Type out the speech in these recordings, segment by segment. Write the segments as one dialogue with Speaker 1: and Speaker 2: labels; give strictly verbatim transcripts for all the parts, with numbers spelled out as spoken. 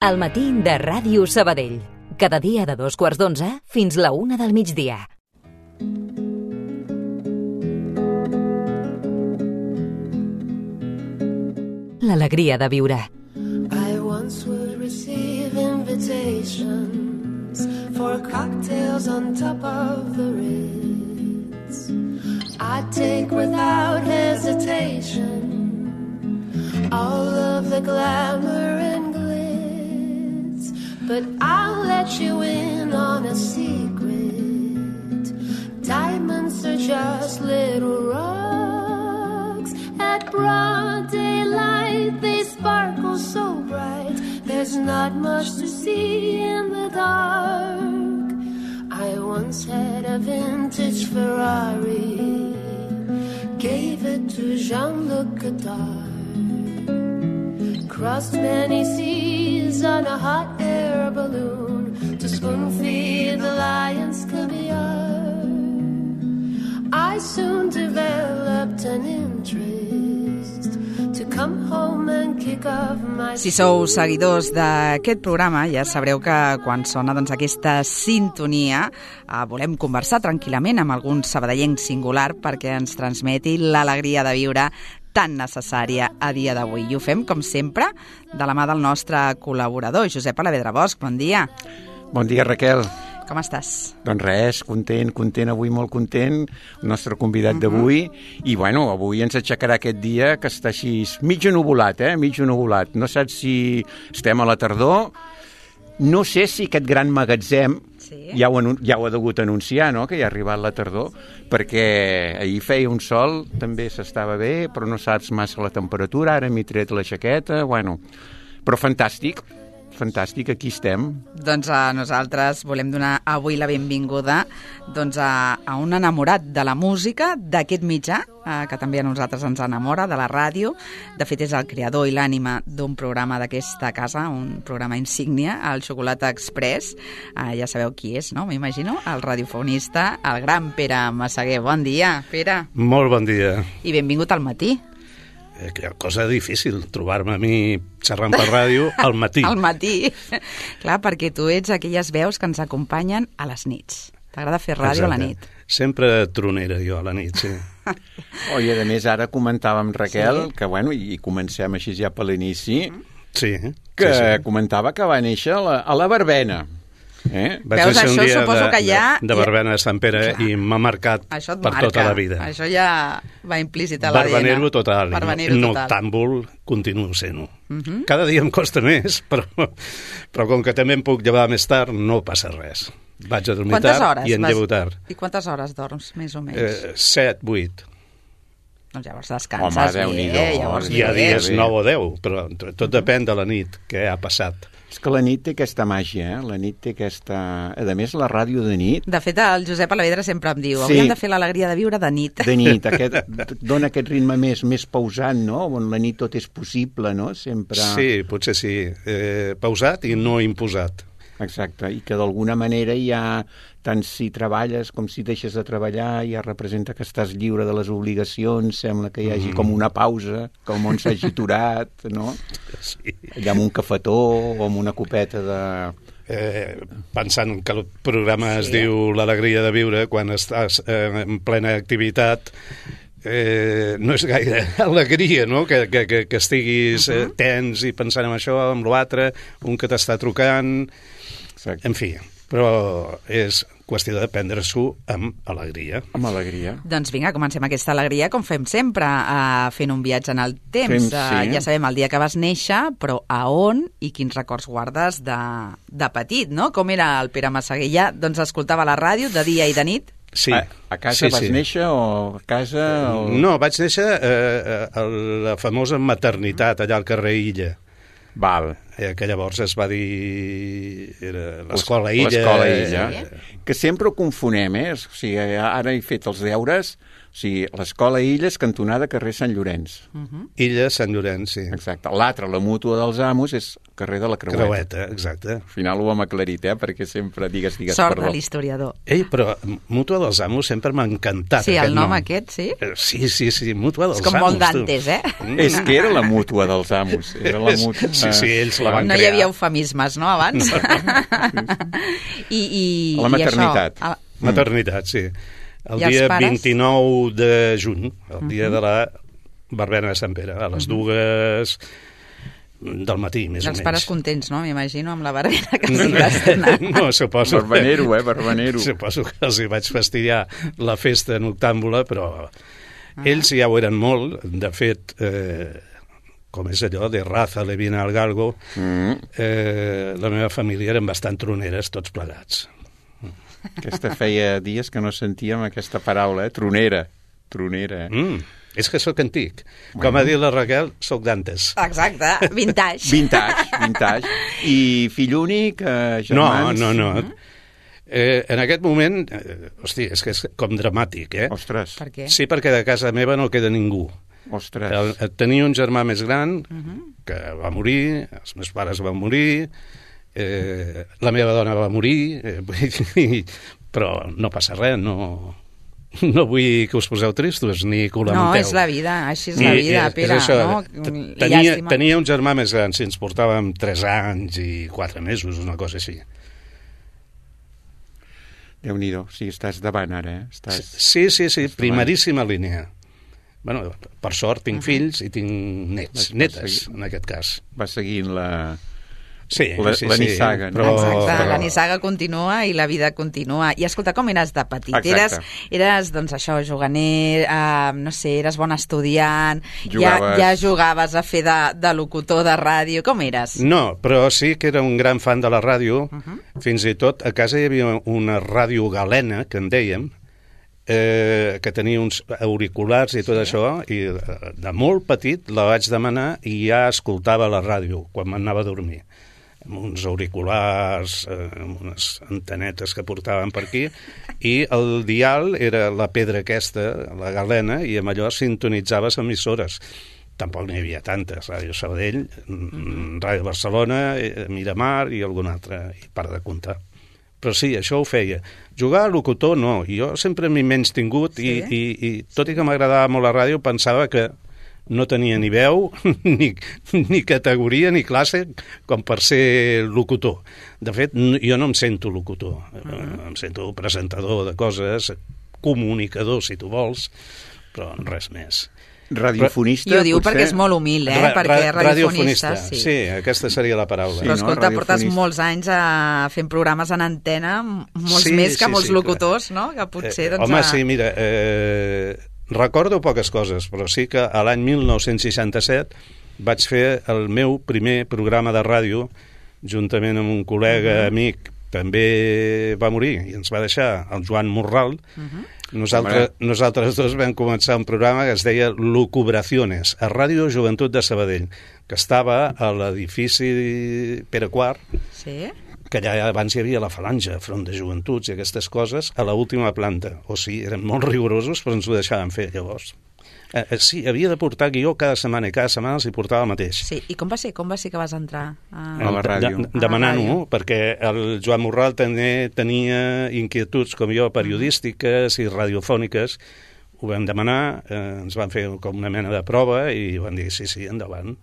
Speaker 1: El matí de Ràdio Sabadell. Cada dia de dos quarts d'onze fins la una del migdia. L'alegria de viure.
Speaker 2: I once would receive invitations for cocktails on top of the Ritz. I'd take without hesitation all of the glamour and glitz, but I'll let you in on a secret. Diamonds are just little rocks. At broad daylight they sparkle so bright. There's not much to see in the dark. I once had a vintage Ferrari, gave it to Jean-Luc Godard. Crossed many seas on a hot air balloon to spoon-feed the lions caviar. I soon developed an interest to come home and kick off my...
Speaker 3: Si sou seguidors d'aquest programa, ja sabreu que quan sona doncs, aquesta sintonia eh, volem conversar tranquil·lament amb algun sabadellenc singular perquè ens transmeti l'alegria de viure tan necessària a dia d'avui. I ho fem, com sempre, de la mà del nostre col·laborador, Josep Alavedra Bosch. Bon dia.
Speaker 4: Bon dia, Raquel.
Speaker 3: Com estàs?
Speaker 4: Doncs res, content, content, avui molt content, el nostre convidat uh-huh. d'avui, i bueno, avui ens aixecarà aquest dia que està així mig nuvolat, eh? mig nuvolat. No saps si estem a la tardor, no sé si aquest gran magatzem sí. ja, ho, ja ho ha degut anunciar, no?, que ja ha arribat la tardor, perquè ahir feia un sol, també s'estava bé, però no saps massa la temperatura, ara m'he tret la jaqueta, bueno, però fantàstic. Fantàstic, aquí estem.
Speaker 3: Doncs a nosaltres volem donar avui la benvinguda doncs, a, a un enamorat de la música, d'aquest mitjà, eh, que també a nosaltres ens enamora, de la ràdio. De fet, és el creador i l'ànima d'un programa d'aquesta casa, un programa insígnia, el Xocolata Express. Eh, ja sabeu qui és, no? M'imagino, el radiofonista, el gran Pere Massaguer. Bon dia, Pere.
Speaker 5: Molt bon dia.
Speaker 3: I benvingut al matí.
Speaker 5: Aquella cosa difícil, trobar-me a mi xerrant per ràdio al matí.
Speaker 3: Al matí. Clar, perquè tu ets aquelles veus que ens acompanyen a les nits. T'agrada fer ràdio Exacte. A la nit.
Speaker 5: Sempre tronera jo a la nit, sí.
Speaker 4: Oh, i a més ara comentàvem, Raquel, sí. que bueno, i comencem així ja per l'inici,
Speaker 5: sí,
Speaker 4: que
Speaker 5: sí, sí.
Speaker 4: comentava que va néixer a la, a la Verbena. Eh?
Speaker 5: Vaig
Speaker 3: Veus, això
Speaker 5: un
Speaker 3: suposo
Speaker 5: de,
Speaker 3: que ja...
Speaker 5: de, de Verbena de Sant Pere Clar. I m'ha marcat per
Speaker 3: marca.
Speaker 5: Tota la vida.
Speaker 3: Això ja va implícit a l'A D N.
Speaker 5: Barbanero total.
Speaker 3: Barbanero
Speaker 5: no,
Speaker 3: total.
Speaker 5: Noctàmbul continuo sent-ho.
Speaker 3: Uh -huh.
Speaker 5: Cada dia em costa més, però, però com que també em puc llevar més tard, no passa res. Vaig a dormir tard i en llevo tard.
Speaker 3: I quantes hores dorms, més o menys?
Speaker 5: Eh, set, vuit.
Speaker 3: Doncs llavors descanses
Speaker 4: Home,
Speaker 3: bé,
Speaker 4: bé,
Speaker 3: llavors
Speaker 5: Hi ha
Speaker 3: bé.
Speaker 5: dies nou o deu, però tot depèn de la nit, què ha passat.
Speaker 4: És que la nit té aquesta màgia, eh? La nit té aquesta... A més, la ràdio de nit...
Speaker 3: De fet, el Josep Alavedra sempre em diu
Speaker 4: sí.
Speaker 3: hauríem de fer l'alegria de viure de nit.
Speaker 4: De nit, aquest, dona aquest ritme més, més pausat, no? On la nit tot és possible, no? Sempre...
Speaker 5: Sí, potser sí. Eh, pausat i no imposat.
Speaker 4: Exacte, i que d'alguna manera ja, tant si treballes com si deixes de treballar, ja representa que estàs lliure de les obligacions, sembla que hi hagi mm. com una pausa, que el món s'hagi aturat, no?
Speaker 5: Sí.
Speaker 4: Allà amb un cafetó o amb una copeta de...
Speaker 5: Eh, pensant que el programa es sí. diu L'alegria de viure, quan estàs eh, en plena activitat, eh, no és gaire alegria, no?, que, que, que, que estiguis uh -huh. eh, tens i pensant en això, en l'altre, un que t'està trucant... Exacte. En fi, però és qüestió de prendre-s'ho amb alegria.
Speaker 4: Amb alegria.
Speaker 3: Doncs vinga, comencem aquesta alegria com fem sempre, uh, fent un viatge en el temps.
Speaker 4: Fem, sí.
Speaker 3: uh, ja sabem el dia que vas néixer, però a on i quins records guardes de, de petit, no? Com era el Pere Massaguer? Ja, doncs escoltava la ràdio de dia i de nit?
Speaker 5: Sí.
Speaker 4: A, a casa
Speaker 5: sí,
Speaker 4: vas
Speaker 5: sí.
Speaker 4: néixer o a casa... O...
Speaker 5: No, vaig néixer eh, a la famosa maternitat, allà al carrer Illa.
Speaker 4: Val.
Speaker 5: Eh, que llavors es va dir... Era l'Escola Illa.
Speaker 4: L'Escola Illa. Eh... Que sempre ho confonem, eh? O sigui, ara he fet els deures, O sigui, l'escola Illes, cantonada carrer Sant Llorenç.
Speaker 3: Uh-huh.
Speaker 5: Illa, Sant Llorenç, sí.
Speaker 4: Exacte. L'altra, la mútua dels amos, és carrer de la Creueta.
Speaker 5: Creueta, exacte.
Speaker 4: Al final ho hem aclarit, eh? Perquè sempre digues, digues,
Speaker 3: Sort
Speaker 4: perdó.
Speaker 3: de l'historiador.
Speaker 5: Ei, però Mútua dels Amos sempre m'ha encantat.
Speaker 3: Sí, el
Speaker 5: aquest
Speaker 3: nom aquest, sí?
Speaker 5: Eh, Sí, sí, sí, Mútua dels
Speaker 3: És com
Speaker 5: Amos.
Speaker 3: molt Dantes, eh?
Speaker 4: És que era la mútua dels amos. Era la mútua...
Speaker 5: Sí, sí, ells la van
Speaker 3: No hi
Speaker 5: crear.
Speaker 3: havia eufemismes, no, abans? I, i,
Speaker 4: La maternitat.
Speaker 3: I això,
Speaker 5: Maternitat, sí. El
Speaker 3: I els
Speaker 5: dia
Speaker 3: pares?
Speaker 5: vint-i-nou de juny, el dia de la verbena de Sant Pere, a les dues del matí, més o
Speaker 3: els
Speaker 5: menys.
Speaker 3: pares contents, no? M'imagino, amb la barbena que s'hi va estrenar.
Speaker 5: No, suposo.
Speaker 4: Barbanero, eh? Barbanero.
Speaker 5: Suposo que els hi vaig fastidiar la festa noctàmbula, però ells ja ho eren molt. De fet, eh, com és allò, de raza le viene al galgo,
Speaker 4: Mm.
Speaker 5: eh, la meva família eren bastant troneres, tots plegats.
Speaker 4: Aquesta feia dies que no sentíem aquesta paraula, eh? Tronera. Tronera, eh?
Speaker 5: Mm, és que sóc antic. Bueno. Com ha dit la Raquel, sóc d'antes.
Speaker 3: Exacte, vintage.
Speaker 4: Vintage, vintage. I fill únic, eh,
Speaker 5: No,
Speaker 4: germans...
Speaker 5: no, no. Eh, en aquest moment, eh, hosti, és que és com dramàtic, eh?
Speaker 4: Ostres,
Speaker 3: Per què?
Speaker 5: Sí, perquè de casa meva no queda ningú.
Speaker 4: ostres.
Speaker 5: El, tenia un germà més gran que va morir, els meus pares van morir, eh, la meva dona va morir, eh, vull dir, però no passa res, no, no vull que us poseu tristos ni que ho
Speaker 3: No,
Speaker 5: lamenteu.
Speaker 3: és la vida, així és la vida,
Speaker 5: és- és
Speaker 3: Pere,
Speaker 5: això,
Speaker 3: no?
Speaker 5: t- Tenia,
Speaker 3: Llàstima.
Speaker 5: tenia un germà més gran, si ens portàvem tres anys i quatre mesos, una cosa així.
Speaker 4: Déu-n'hi-do, o sigui, estàs davant ara, eh? Estàs...
Speaker 5: Sí, sí, sí,
Speaker 4: Estàs
Speaker 5: primeríssima línia. Bueno, per sort tinc fills i tinc nets,
Speaker 4: Vas
Speaker 5: netes,
Speaker 4: seguir.
Speaker 5: en aquest cas.
Speaker 4: Va seguint la...
Speaker 5: Sí,
Speaker 4: La-
Speaker 5: sí,
Speaker 4: la
Speaker 5: sí,
Speaker 4: nissaga, no?
Speaker 5: però,
Speaker 3: Exacte,
Speaker 5: però...
Speaker 3: la nissaga continua i la vida continua. I escolta, com eres de petit?
Speaker 4: Exacte.
Speaker 3: Eres, eres, doncs això, juganer, eh, no sé, eres bon estudiant,
Speaker 4: Jugaves.
Speaker 3: ja, ja jugaves a fer de, de locutor de ràdio, com eres?
Speaker 5: No, però sí que era un gran fan de la ràdio. Uh -huh. Fins i tot a casa hi havia una ràdio galena, que en dèiem, eh, que tenia uns auriculars i tot sí. això, i eh, de molt petit la vaig demanar i ja escoltava la ràdio quan m'anava a dormir, amb uns auriculars, eh, amb unes antenetes que portaven per aquí, i el dial era la pedra aquesta, la galena, i amb allò sintonitzaves emissores. Tampoc n'hi havia tantes, Ràdio Sabadell, mm-hmm. Ràdio Barcelona, eh, Miramar i alguna altra, i per de comptar. Però sí, això ho feia. Jugar a locutor no, jo sempre m'he menys tingut sí? i, i, i tot i que m'agradava molt la ràdio pensava que no tenia ni veu, ni, ni categoria, ni classe com per ser locutor. De fet, jo no em sento locutor, uh-huh. em sento presentador de coses, comunicador, si tu vols, però res més.
Speaker 4: Radiofonista,
Speaker 3: I ho diu
Speaker 4: potser?
Speaker 3: perquè és molt humil, eh?
Speaker 5: Ra-
Speaker 3: perquè
Speaker 5: ra-
Speaker 3: radiofonista, sí.
Speaker 5: sí, aquesta seria la paraula.
Speaker 4: Sí,
Speaker 3: Però
Speaker 4: no?
Speaker 3: escolta, portes
Speaker 4: Radiofonista.
Speaker 3: molts anys a fent programes en antena, molts
Speaker 5: Sí,
Speaker 3: més que
Speaker 5: sí,
Speaker 3: molts
Speaker 5: sí,
Speaker 3: locutors, no? Que potser,
Speaker 5: Eh,
Speaker 3: doncs...
Speaker 5: home,
Speaker 3: a...
Speaker 5: sí, mira, eh, recordo poques coses, però sí que a l'any mil nou-cents seixanta-set vaig fer el meu primer programa de ràdio, juntament amb un col·lega, uh -huh. amic, també va morir i ens va deixar, el Joan Morral. Uh -huh. Nosaltres, nosaltres dos vam començar un programa que es deia Lucubraciones, a Ràdio Joventut de Sabadell, que estava a l'edifici Pere Quart,
Speaker 3: Sí?
Speaker 5: que allà abans hi havia la Falange, Front de Joventuts i aquestes coses, a l'última planta. O sigui, eren molt rigorosos, però ens ho deixaven fer llavors. Eh, eh, sí, havia de portar guió cada setmana i cada setmana els hi portava el mateix.
Speaker 3: Sí, i com va ser? Com va ser que vas entrar? A...
Speaker 4: A la ràdio.
Speaker 5: De, de, Demanant-ho,
Speaker 3: ràdio.
Speaker 5: perquè el Joan Morral també tenia inquietuds com jo, periodístiques i radiofòniques. Ho vam demanar, eh, ens van fer com una mena de prova i van dir sí, sí, endavant.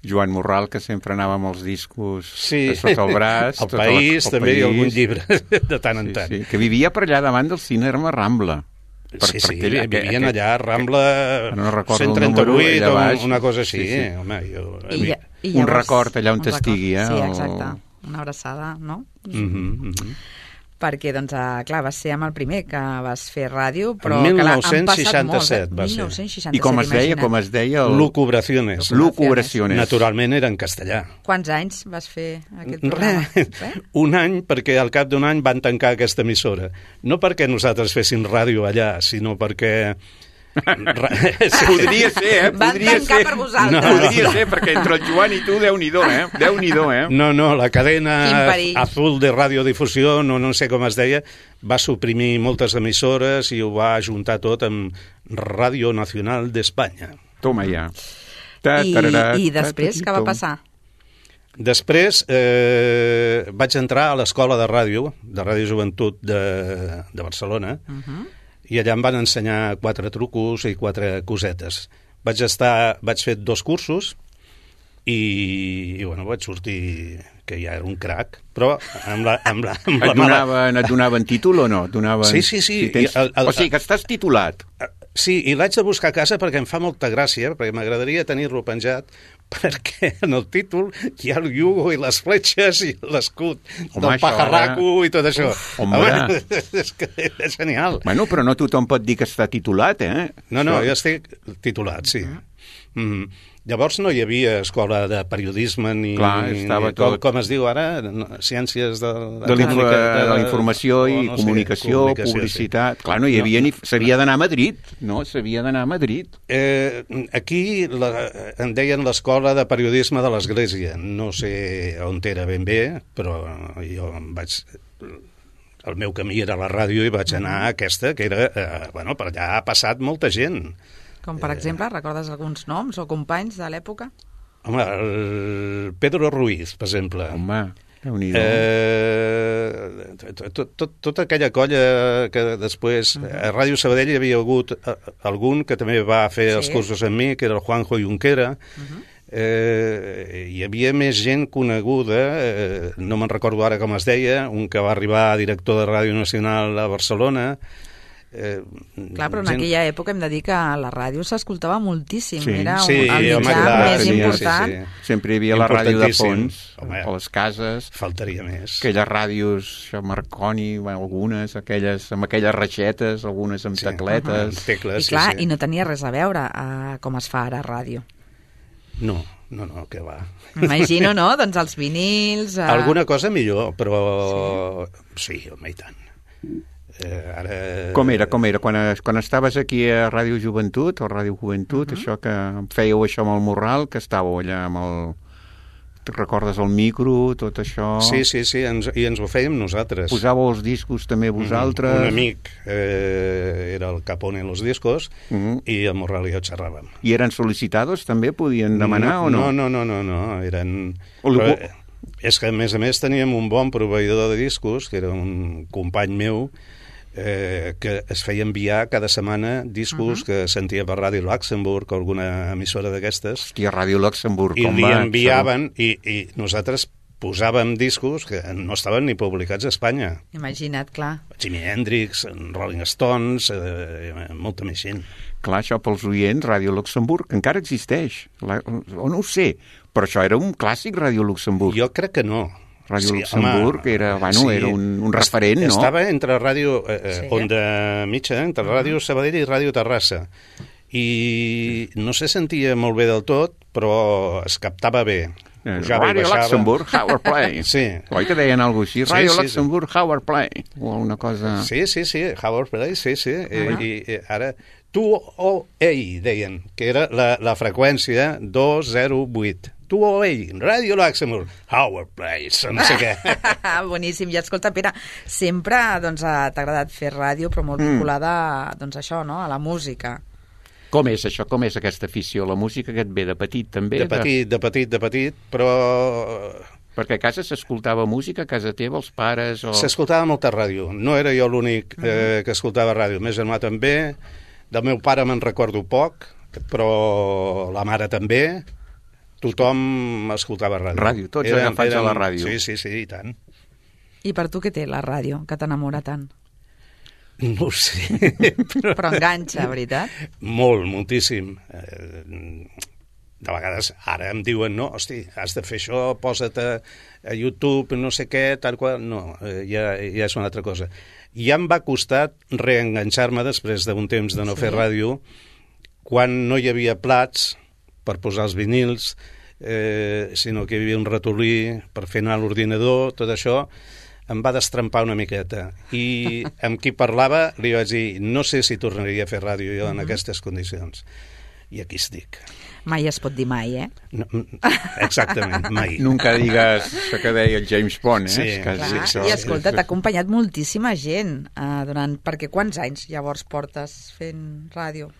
Speaker 4: Joan Morral, que sempre anava amb els discos
Speaker 5: Sí,
Speaker 4: sota el braç.
Speaker 5: el
Speaker 4: tota
Speaker 5: País,
Speaker 4: la, el
Speaker 5: també, i
Speaker 4: país.
Speaker 5: algun llibre, de tant en
Speaker 4: Sí,
Speaker 5: tant.
Speaker 4: sí, que vivia per allà davant del cinema Rambla. Per,
Speaker 5: sí, sí,
Speaker 4: aquell-
Speaker 5: vivien
Speaker 4: aquell-
Speaker 5: allà, Rambla
Speaker 4: no recordo el
Speaker 5: cent trenta-vuit,
Speaker 4: número, allà
Speaker 5: o
Speaker 4: baix.
Speaker 5: una cosa així.
Speaker 4: Sí, sí.
Speaker 5: Home, jo...
Speaker 3: I, ja- i
Speaker 4: Un record allà on
Speaker 3: un
Speaker 4: t'estigui, eh,
Speaker 3: Sí,
Speaker 4: el-
Speaker 3: exacte. Una abraçada, no?
Speaker 5: Mm -hmm, mm -hmm.
Speaker 3: Perquè, doncs, eh, clar, vas ser amb el primer que vas fer ràdio, però...
Speaker 5: En
Speaker 3: clar, han
Speaker 5: mil nou-cents seixanta-set
Speaker 3: passat molts, eh?
Speaker 5: va ser.
Speaker 3: mil nou-cents seixanta-set,
Speaker 4: I com es deia,
Speaker 3: imagina't.
Speaker 4: com es deia... El...
Speaker 5: Lucubraciones.
Speaker 4: Lucubraciones.
Speaker 5: Naturalment era en castellà.
Speaker 3: Quants anys vas fer aquest programa?
Speaker 5: Res, un any, perquè al cap d'un any van tancar aquesta emissora. No perquè nosaltres féssim ràdio allà, sinó perquè Sí.
Speaker 4: Podria ser, eh?
Speaker 3: Van
Speaker 4: Podria
Speaker 3: tancar
Speaker 4: ser.
Speaker 3: per vosaltres.
Speaker 4: No, podria ser, perquè entre el Joan i tu, Déu-n'hi-do, eh? Déu-n'hi-do, eh?
Speaker 5: No, no, la cadena
Speaker 3: Quin perill.
Speaker 5: Azul de radiodifusió, no, no sé com es deia, va suprimir moltes emissores i ho va ajuntar tot amb Radio Nacional d'Espanya.
Speaker 4: Toma ja. Ta,
Speaker 3: I,
Speaker 4: tararà,
Speaker 3: I després,
Speaker 4: ta,
Speaker 3: què va
Speaker 4: tom.
Speaker 3: passar?
Speaker 5: Després eh, vaig entrar a l'escola de ràdio, de Ràdio Joventut de, de Barcelona, uh -huh. i allà em van ensenyar quatre trucos i quatre cosetes. Vaig estar, vaig fer dos cursos i, i bueno, vaig sortir que ja era un crac, però amb la, amb la, amb la
Speaker 4: Et donaven, et donaven títol o no? Et donaven...
Speaker 5: Sí, sí, sí.
Speaker 4: Si tens...
Speaker 5: I el- el-
Speaker 4: O sigui, que estàs titulat.
Speaker 5: Sí, i l'haig de buscar a casa perquè em fa molta gràcia, perquè m'agradaria tenir-lo penjat, perquè en el títol hi ha el iugo i les fletxes i l'escut
Speaker 4: Home,
Speaker 5: del
Speaker 4: això
Speaker 5: pajarraco i tot això.
Speaker 4: Uf, home.
Speaker 5: és que és genial.
Speaker 4: Bueno, però no tothom pot dir que està titulat, eh?
Speaker 5: No, no,
Speaker 4: Això-
Speaker 5: jo estic titulat, sí. Mm. Llavors no hi havia escola de periodisme ni...
Speaker 4: Clar, estava
Speaker 5: ni com,
Speaker 4: tot-
Speaker 5: com es diu ara, no, ciències de...
Speaker 4: de, la info- de la informació
Speaker 5: o
Speaker 4: i
Speaker 5: no sé,
Speaker 4: comunicació,
Speaker 5: comunicació,
Speaker 4: publicitat...
Speaker 5: sí.
Speaker 4: Clar, no hi havia
Speaker 5: No.
Speaker 4: ni... S'havia d'anar a Madrid, no? S'havia d'anar a Madrid.
Speaker 5: Eh, aquí la, en deien l'escola de periodisme de l'Església. No sé on era ben bé, però jo em vaig... El meu camí era la ràdio i vaig anar a aquesta, que era... Eh, bueno, per allà ha passat molta gent.
Speaker 3: Com, per exemple, recordes alguns noms o companys de l'època?
Speaker 5: Home, el Pedro Ruiz, per exemple.
Speaker 4: Home, déu-n'hi-do.
Speaker 5: Eh, tot, tot, tota aquella colla que després uh -huh. a Ràdio Sabadell hi havia hagut eh, algun que també va fer
Speaker 3: Sí.
Speaker 5: els cursos amb mi, que era el Juanjo Junquera. Uh -huh. eh, hi havia més gent coneguda, eh, no me'n recordo ara com es deia, un que va arribar a director de Ràdio Nacional a Barcelona. Eh,
Speaker 3: Clar, però en
Speaker 5: gent-
Speaker 3: aquella època hem de dir que la ràdio s'escoltava moltíssim.
Speaker 4: Sí.
Speaker 3: Era un,
Speaker 5: Sí,
Speaker 3: el
Speaker 5: home,
Speaker 3: mitjà
Speaker 5: clar,
Speaker 3: més
Speaker 4: tenia-
Speaker 3: important.
Speaker 5: sí, sí.
Speaker 4: Sempre hi havia la ràdio de
Speaker 5: Importantíssim.
Speaker 4: fons,
Speaker 5: Home.
Speaker 4: a les cases,
Speaker 5: Faltaria més.
Speaker 4: aquelles ràdios, això, Marconi, bueno, algunes, aquelles, amb aquelles reixetes, algunes amb
Speaker 5: Sí.
Speaker 4: tecletes.
Speaker 5: Amb tecles,
Speaker 3: I clar,
Speaker 5: sí, sí.
Speaker 3: i no tenia res a veure a com es fa ara a ràdio.
Speaker 5: No, no, no, que va.
Speaker 3: M'imagino, no? Doncs els vinils... Eh...
Speaker 5: Alguna cosa millor, però... Sí, sí home, i tant. Eh, ara...
Speaker 4: Com era, com era? Quan, quan estaves aquí a Ràdio Joventut, o Ràdio Joventut, uh -huh. això que fèieu això amb el Morral, que estàveu allà amb el... Te recordes el micro, tot això?
Speaker 5: Sí, sí, sí, ens, i ens ho fèiem nosaltres.
Speaker 4: Posàveu els discos també vosaltres?
Speaker 5: Un amic eh, era el que pone los discos
Speaker 4: uh -huh.
Speaker 5: i el Morral i jo xerràvem.
Speaker 4: I eren sol·licitados també? Podien demanar
Speaker 5: no,
Speaker 4: o no?
Speaker 5: No, no, no, no, no. eren...
Speaker 4: O
Speaker 5: Però,
Speaker 4: algú-
Speaker 5: eh, és que, a més a més, teníem un bon proveïdor de discos, que era un company meu, eh, que es feia enviar cada setmana discos uh -huh. que sentia per Ràdio Luxemburg o alguna emissora d'aquestes,
Speaker 4: Hòstia, Ràdio Luxemburg,
Speaker 5: i
Speaker 4: com
Speaker 5: li
Speaker 4: va?
Speaker 5: enviaven, i, i nosaltres posàvem discos que no estaven ni publicats a Espanya.
Speaker 3: Imagina't, clar.
Speaker 5: Jimi Hendrix, Rolling Stones, eh, molta més gent.
Speaker 4: Clar, això pels oients, Ràdio Luxemburg, encara existeix. La, o no ho sé, però això era un clàssic, Ràdio Luxemburg.
Speaker 5: Jo crec que no.
Speaker 4: Ràdio Luxemburg era, bueno, era un, un referent, no?
Speaker 5: Estava entre Ràdio eh,
Speaker 3: Sí.
Speaker 5: Onda Mitja, entre Ràdio Sabadell i Ràdio Terrassa. I no se sentia molt bé del tot, però es captava bé.
Speaker 4: Eh,
Speaker 5: Pujava i
Speaker 4: Ràdio
Speaker 5: baixava.
Speaker 4: Luxemburg, Howard Play.
Speaker 5: Sí.
Speaker 4: Oi que deien alguna cosa així?
Speaker 5: Sí,
Speaker 4: Ràdio
Speaker 5: sí, sí.
Speaker 4: Luxemburg, Howard Play. O una cosa...
Speaker 5: Sí, sí, sí, Howard Play, sí, sí. Eh, I eh, ara, tu o ell, deien, que era la, la freqüència dos zero vuit. Tu o ell, Ràdio Luxemburg, Howard Place, no sé què.
Speaker 3: Boníssim. I escolta, Pere, sempre doncs, eh, t'ha agradat fer ràdio, però molt vinculada doncs, a això, no? A la música.
Speaker 4: Com és això? Com és aquesta afició? La música que et ve de petit, també?
Speaker 5: De petit, de petit, de petit, però
Speaker 4: Perquè a casa s'escoltava música, a casa teva, els pares... O...
Speaker 5: s'escoltava molta ràdio. No era jo l'únic eh, que escoltava ràdio. El meu germà també. Del meu pare me'n recordo poc, però la mare també. Tothom escoltava ràdio.
Speaker 4: Ràdio, tots agafats a la ràdio.
Speaker 5: Sí, sí, sí, i tant.
Speaker 3: I per tu què té la ràdio, que t'enamora tant?
Speaker 5: No ho sé.
Speaker 3: Però enganxa, veritat?
Speaker 5: Molt, moltíssim. Eh, de vegades ara em diuen, no, hosti, has de fer això, posa't a, a YouTube, no sé què, tal qual... No, eh, ja, ja és una altra cosa. Ja em va costar reenganxar-me després d'un temps de no
Speaker 3: Sí.
Speaker 5: fer ràdio, quan no hi havia plats per posar els vinils, eh, sinó que hi havia un ratolí per fer anar l'ordinador, tot això em va destrempar una miqueta. I amb qui parlava li vaig dir, no sé si tornaria a fer ràdio jo en aquestes condicions. I aquí estic.
Speaker 3: Mai es pot dir mai, eh?
Speaker 5: No, exactament, mai.
Speaker 4: Nunca digues això que deia el James Bond, eh?
Speaker 5: Sí,
Speaker 4: És quasi...
Speaker 3: Clar,
Speaker 5: sí,
Speaker 3: i escolta, t'ha acompanyat moltíssima gent uh, durant... Perquè quants anys llavors portes fent ràdio?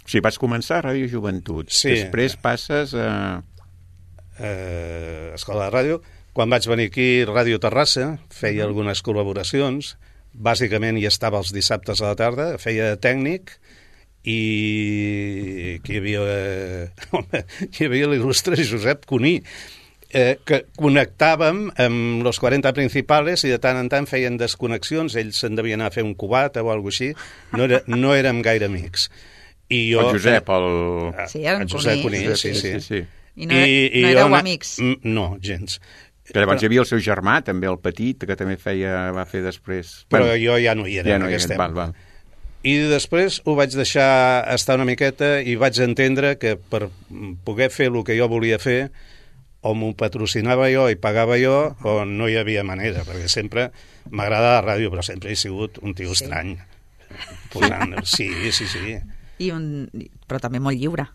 Speaker 4: Sí, vas començar a Ràdio Joventut.
Speaker 5: Sí.
Speaker 4: Després passes a...
Speaker 5: Eh, Escola de Ràdio. Quan vaig venir aquí, Ràdio Terrassa, feia algunes col·laboracions. Bàsicament hi estava els dissabtes a la tarda, feia de tècnic, i que hi havia, eh, home, hi havia l'il·lustre Josep Cuní, eh, que connectàvem amb los quaranta principales i de tant en tant feien desconnexions, ells se'n devien anar a fer un cubat o alguna així, no, era, no érem gaire amics. I jo,
Speaker 4: el Josep, el...
Speaker 3: Sí, era un
Speaker 5: el Josep
Speaker 3: Cuní.
Speaker 5: Cuní, sí, sí.
Speaker 4: sí, sí.
Speaker 3: I no, I, no éreu
Speaker 5: jo,
Speaker 3: amics?
Speaker 5: No, gens.
Speaker 4: Que llavors hi havia el seu germà, també el petit, que també feia, va fer després...
Speaker 5: Però
Speaker 4: bueno,
Speaker 5: jo ja no hi era
Speaker 4: ja
Speaker 5: en
Speaker 4: no hi
Speaker 5: aquesta
Speaker 4: era, val,
Speaker 5: època.
Speaker 4: val.
Speaker 5: I després ho vaig deixar estar una miqueta i vaig entendre que per poder fer el que jo volia fer o m'ho patrocinava jo i pagava jo o no hi havia manera, perquè sempre m'agrada la ràdio, però sempre he sigut un tio
Speaker 3: Sí.
Speaker 5: estrany. Posant... Sí, sí, sí.
Speaker 3: I un... Però també molt lliure.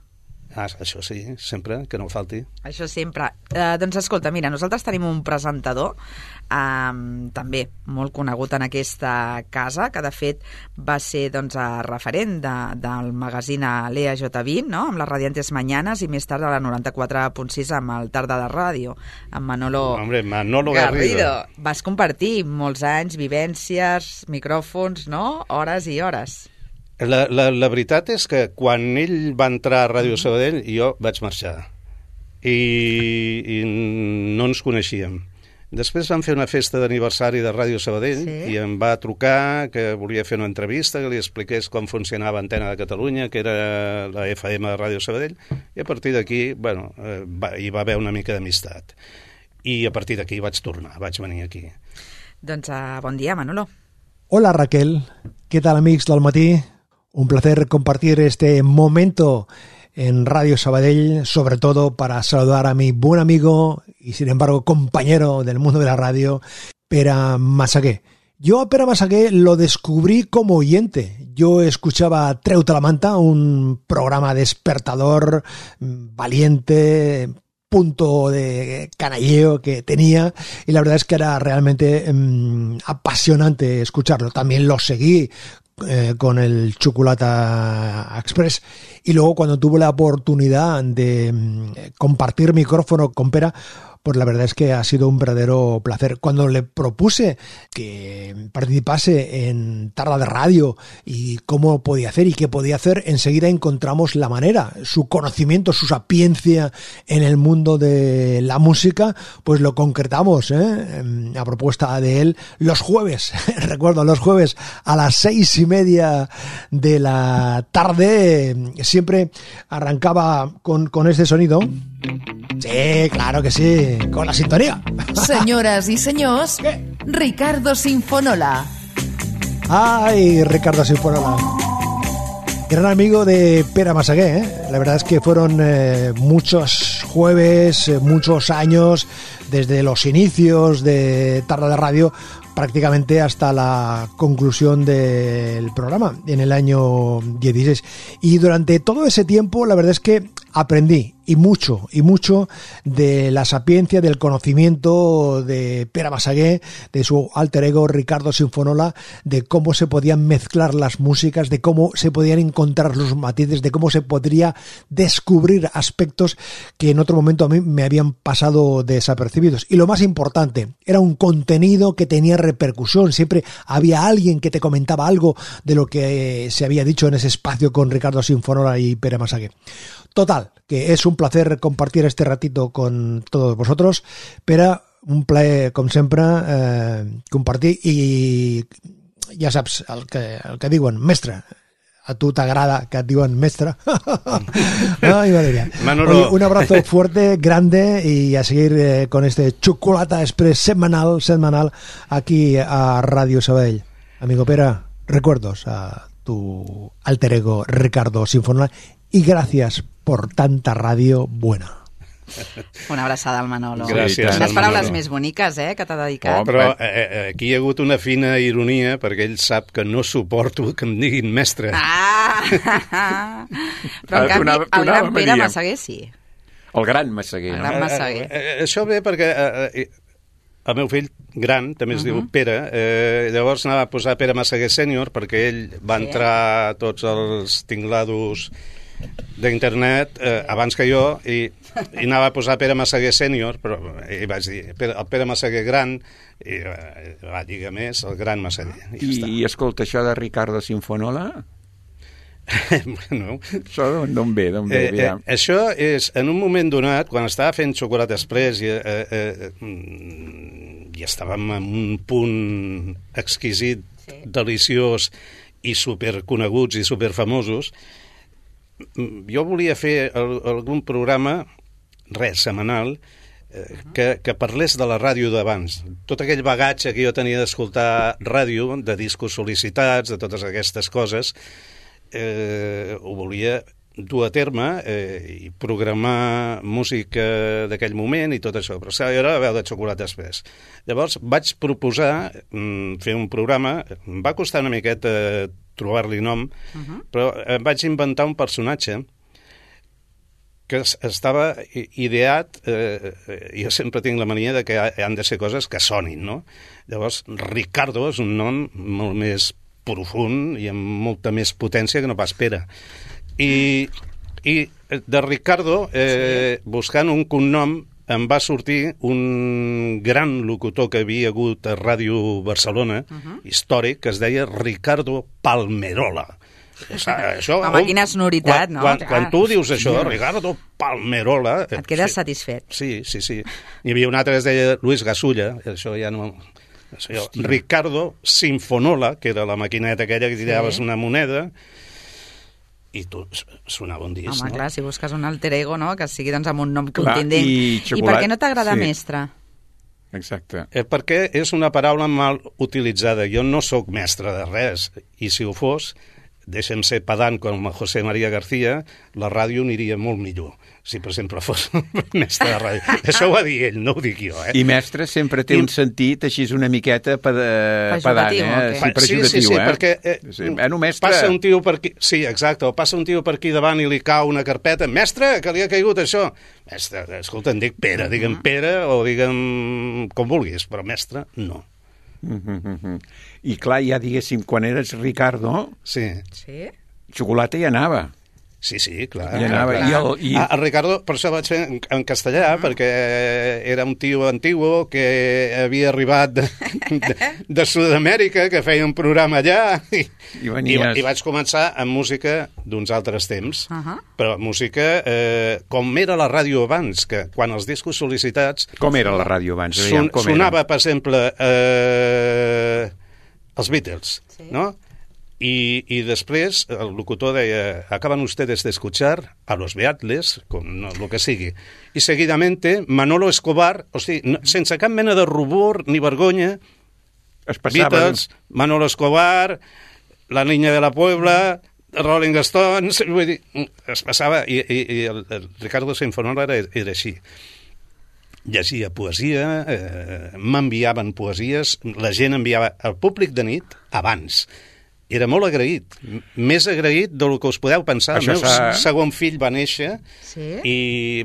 Speaker 5: Ah, això sí, sempre, que no falti.
Speaker 3: Això sempre. Eh, doncs escolta, mira, nosaltres tenim un presentador eh, també molt conegut en aquesta casa, que de fet va ser doncs, referent de, del magazín Lea J vint, no? Amb les Radiantes Mañanas, i més tard a la noranta-quatre punt sis amb el Tarda de Ràdio, amb Manolo,
Speaker 5: Hombre, Manolo Garrido.
Speaker 3: Garrido. Vas compartir molts anys, vivències, micròfons, no? Hores i hores.
Speaker 5: La, la, la veritat és que quan ell va entrar a Ràdio Sabadell jo vaig marxar i, i no ens coneixíem. Després vam fer una festa d'aniversari de Ràdio Sabadell, sí? I em va trucar que volia fer una entrevista, que li expliqués com funcionava Antena de Catalunya, que era la F M de Ràdio Sabadell, i a partir d'aquí, bueno, eh, va, hi va haver una mica d'amistat. I a partir d'aquí vaig tornar, vaig venir aquí.
Speaker 3: Doncs uh, bon dia, Manolo.
Speaker 6: Hola Raquel, ¿qué tal amigos del matí? Un placer compartir este momento en Radio Sabadell, sobre todo para saludar a mi buen amigo y sin embargo compañero del mundo de la radio, Pere Massaguer. Yo a Pere Massaguer lo descubrí como oyente. Yo escuchaba Treu-te la manta, un programa despertador, valiente, punto de canalleo que tenía, y la verdad es que era realmente mmm, apasionante escucharlo. También lo seguí Eh, con el Chocolata Express, y luego cuando tuve la oportunidad de eh, compartir micrófono con Pere, pues la verdad es que ha sido un verdadero placer. Cuando le propuse que participase en Tarda de Radio y cómo podía hacer y qué podía hacer, enseguida encontramos la manera. Su conocimiento, su sapiencia en el mundo de la música, pues lo concretamos, ¿eh? A propuesta de él, los jueves, recuerdo, los jueves a las seis y media de la tarde, siempre arrancaba con, con este sonido. Sí, claro que sí, con la sintonía.
Speaker 7: Senyores i senyors,
Speaker 6: ¿Qué?
Speaker 7: Ricardo Sinfonola.
Speaker 6: Ay, Ricardo Sinfonola. Gran amigo de Pere Massaguer, ¿eh? La verdad es que fueron eh, muchos jueves, eh, muchos años, desde los inicios de Tarda de Radio prácticamente hasta la conclusión del programa en el año dieciséis. Y durante todo ese tiempo la verdad es que aprendí y mucho, y mucho de la sapiencia, del conocimiento de Pere Massaguer, de su alter ego Ricardo Sinfonola, de cómo se podían mezclar las músicas, de cómo se podían encontrar los matices, de cómo se podría descubrir aspectos que en otro momento a mí me habían pasado desapercibidos. Y lo más importante, era un contenido que tenía repercusión, siempre había alguien que te comentaba algo de lo que se había dicho en ese espacio con Ricardo Sinfonola y Pere Massaguer. Total, que es un placer compartir este ratito con todos vosotros, però un plaer, com sempre, eh, compartir, i ja saps el que, el que diuen, mestre, a tu t'agrada que et diuen mestre. Ay, madre mía. Oye, un abrazo fuerte, grande, y a seguir eh, con este Chocolata Express semanal, semanal, aquí a Radio Sabadell. Amigo Pere, recuerdos a tu alter ego Ricardo Sinfonola, y gracias por tanta radio buena.
Speaker 3: Una abraçada al Manolo.
Speaker 5: Gràcies,
Speaker 3: Les
Speaker 5: al
Speaker 3: paraules
Speaker 5: Manolo.
Speaker 3: més boniques, eh, que t'ha dedicat.
Speaker 5: Oh, però eh, aquí hi ha hagut una fina ironia perquè ell sap que no suporto que em diguin mestre.
Speaker 3: Ah! Però en canvi,
Speaker 4: Donava-
Speaker 3: el
Speaker 4: donava
Speaker 3: gran Pere
Speaker 4: Maria.
Speaker 3: Massaguer sí.
Speaker 4: El gran Massaguer.
Speaker 3: El
Speaker 4: No?
Speaker 3: gran Massaguer.
Speaker 5: Eh, eh, això ve perquè eh, eh, el meu fill gran també es uh -huh. diu Pere, eh, llavors anava a posar Pere Massaguer sènior perquè ell va
Speaker 3: Sí.
Speaker 5: entrar a tots els tinglados d'internet eh, abans que jo i, i anava a posar Pere Massaguer sènior, però i vaig dir Pere, el Pere Massaguer gran i eh, va dir més el gran Massaguer. I,
Speaker 4: I,
Speaker 5: ja
Speaker 4: I escolta, això de Ricardo Sinfonola,
Speaker 5: està. Bueno,
Speaker 4: això d'on- d'on ve? D'on ve?
Speaker 5: Eh, eh,
Speaker 4: Aviam.
Speaker 5: això és, en un moment donat, quan estava fent Xocolata Express i, eh, eh, mm, i estàvem en un punt exquisit, sí. deliciós i superconeguts i superfamosos, mm, jo volia fer el, algun programa, res, setmanal, eh, que, que parlés de la ràdio d'abans. Tot aquell bagatge que jo tenia d'escoltar ràdio, de discos sol·licitats, de totes aquestes coses, eh, ho volia dur a terme eh, i programar música d'aquell moment i tot això, però s'ha era la veu de Xocolata Express. Llavors vaig proposar mm, fer un programa, em va costar una miqueta eh, trobar-li nom, uh -huh. però eh, vaig inventar un personatge que es- estava i- ideat, eh, eh, jo sempre tinc la mania de que ha- han de ser coses que sonin, no? Llavors, Ricardo és un nom molt més profund i amb molta més potència que no pas Pere. I, i de Ricardo, eh, sí. buscant un cognom, em va sortir un gran locutor que havia hagut a Ràdio Barcelona, uh -huh. històric, que es deia Ricardo Palmerola. Això,
Speaker 3: Home, quina sonoritat,
Speaker 5: quan,
Speaker 3: no?
Speaker 5: Quan,
Speaker 3: Clar.
Speaker 5: quan tu dius això, Ricardo Palmerola...
Speaker 3: Et quedes
Speaker 5: sí,
Speaker 3: satisfet.
Speaker 5: Sí, sí, sí. Hi havia un altre que es deia Luis Gasulla, això ja no... Això, Ricardo Sinfonola, que era la maquineta aquella que tiraves
Speaker 3: Sí.
Speaker 5: una moneda, i tu sonava un disc,
Speaker 3: Home,
Speaker 5: no?
Speaker 3: clar, si busques un alter ego, no?, que sigui doncs, amb un nom
Speaker 4: Clar,
Speaker 3: contundent.
Speaker 4: i
Speaker 3: I per
Speaker 4: xocolat-
Speaker 3: què no t'agrada
Speaker 4: sí.
Speaker 3: mestre?
Speaker 4: Exacte.
Speaker 5: Eh, perquè és una paraula mal utilitzada. Jo no sóc mestre de res, i si ho fos, deixem ser pedant com a José María García, la ràdio aniria molt millor, si per exemple fos mestre de ràdio. Això ho va dir ell, no ho dic jo, eh?
Speaker 4: I mestre sempre té
Speaker 5: I-
Speaker 4: un sentit així una miqueta ped pedant,
Speaker 3: Pejoratiu,
Speaker 4: eh?
Speaker 3: o què?
Speaker 4: Sí, pejoratiu,
Speaker 5: sí, sí, sí,
Speaker 4: eh?
Speaker 5: perquè eh,
Speaker 4: Sí, bueno, mestre...
Speaker 5: passa un tio per aquí, sí, exacte, o passa un tio per aquí davant i li cau una carpeta, mestre, que li ha caigut això. Mestre, escolta, em dic Pere, digue'm Pere o digue'm com vulguis, però mestre, no.
Speaker 4: Mm -hmm. I clar, ja diguéssim, quan eres Ricardo,
Speaker 5: Sí.
Speaker 3: Sí?
Speaker 4: xocolata hi anava.
Speaker 5: Sí, sí, clar.
Speaker 4: I anava,
Speaker 5: clar.
Speaker 4: i el- i-
Speaker 5: Ah, el Ricardo, per això vaig fer en, en castellà, perquè era un tio antiguo que havia arribat de, de, de Sud-amèrica, que feia un programa allà, i,
Speaker 4: I
Speaker 5: i,
Speaker 4: venies...
Speaker 5: i vaig començar amb música d'uns altres temps,
Speaker 3: Uh -huh.
Speaker 5: però música eh, com era la ràdio abans, que quan els discos sol·licitats
Speaker 4: Com era la ràdio abans?
Speaker 5: son,
Speaker 4: Aviam, com
Speaker 5: sonava,
Speaker 4: era?
Speaker 5: per exemple, eh, els Beatles,
Speaker 3: Sí.
Speaker 5: no? I, i després el locutor deia, acaban ustedes de escuchar a los Beatles, con no, lo que sigui. I seguidamente Manolo Escobar, o sigui, no, sense cap mena de rubor ni vergonya,
Speaker 4: Es passava...
Speaker 5: Beatles, Manolo Escobar, La Niña de la Puebla, Rolling Stones, vull dir, es passava, i, i, i el, el Ricardo Sinfonola era, era així. Llegia poesia, eh, m'enviaven poesies, la gent enviava al públic de nit abans. Era molt agraït, m- més agraït del que us podeu pensar.
Speaker 4: Això
Speaker 5: El meu
Speaker 4: s'ha-
Speaker 5: segon fill va néixer
Speaker 3: Sí?
Speaker 5: i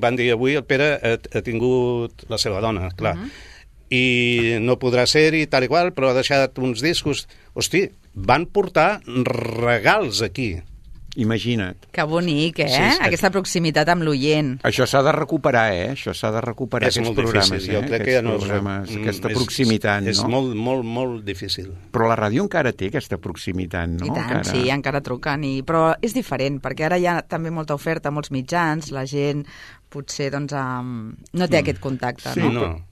Speaker 5: van dir avui el Pere ha, ha tingut la seva dona, clar. Uh -huh. I no podrà ser-hi tal i qual, però ha deixat uns discos. Hosti, van portar regals aquí.
Speaker 4: Imagina't.
Speaker 3: Que bonic, eh?
Speaker 5: Sí, sí.
Speaker 3: Aquesta proximitat amb l'oient.
Speaker 4: Això s'ha de recuperar, eh? Això s'ha de recuperar,
Speaker 5: És
Speaker 4: aquests
Speaker 5: molt
Speaker 4: programes,
Speaker 5: difícil. Jo
Speaker 4: eh?
Speaker 5: crec que
Speaker 4: Aquests
Speaker 5: ja no és...
Speaker 4: programes,
Speaker 5: mm,
Speaker 4: aquesta
Speaker 5: és-
Speaker 4: proximitat,
Speaker 5: és,
Speaker 4: no?
Speaker 5: És molt, molt, molt difícil.
Speaker 4: Però la ràdio encara té aquesta proximitat, no?
Speaker 3: I tant,
Speaker 4: encara...
Speaker 3: sí, encara truquen. I... Però és diferent, perquè ara hi ha també molta oferta, molts mitjans, la gent potser doncs, um, no té mm. aquest contacte.
Speaker 5: Sí,
Speaker 3: no?
Speaker 5: no.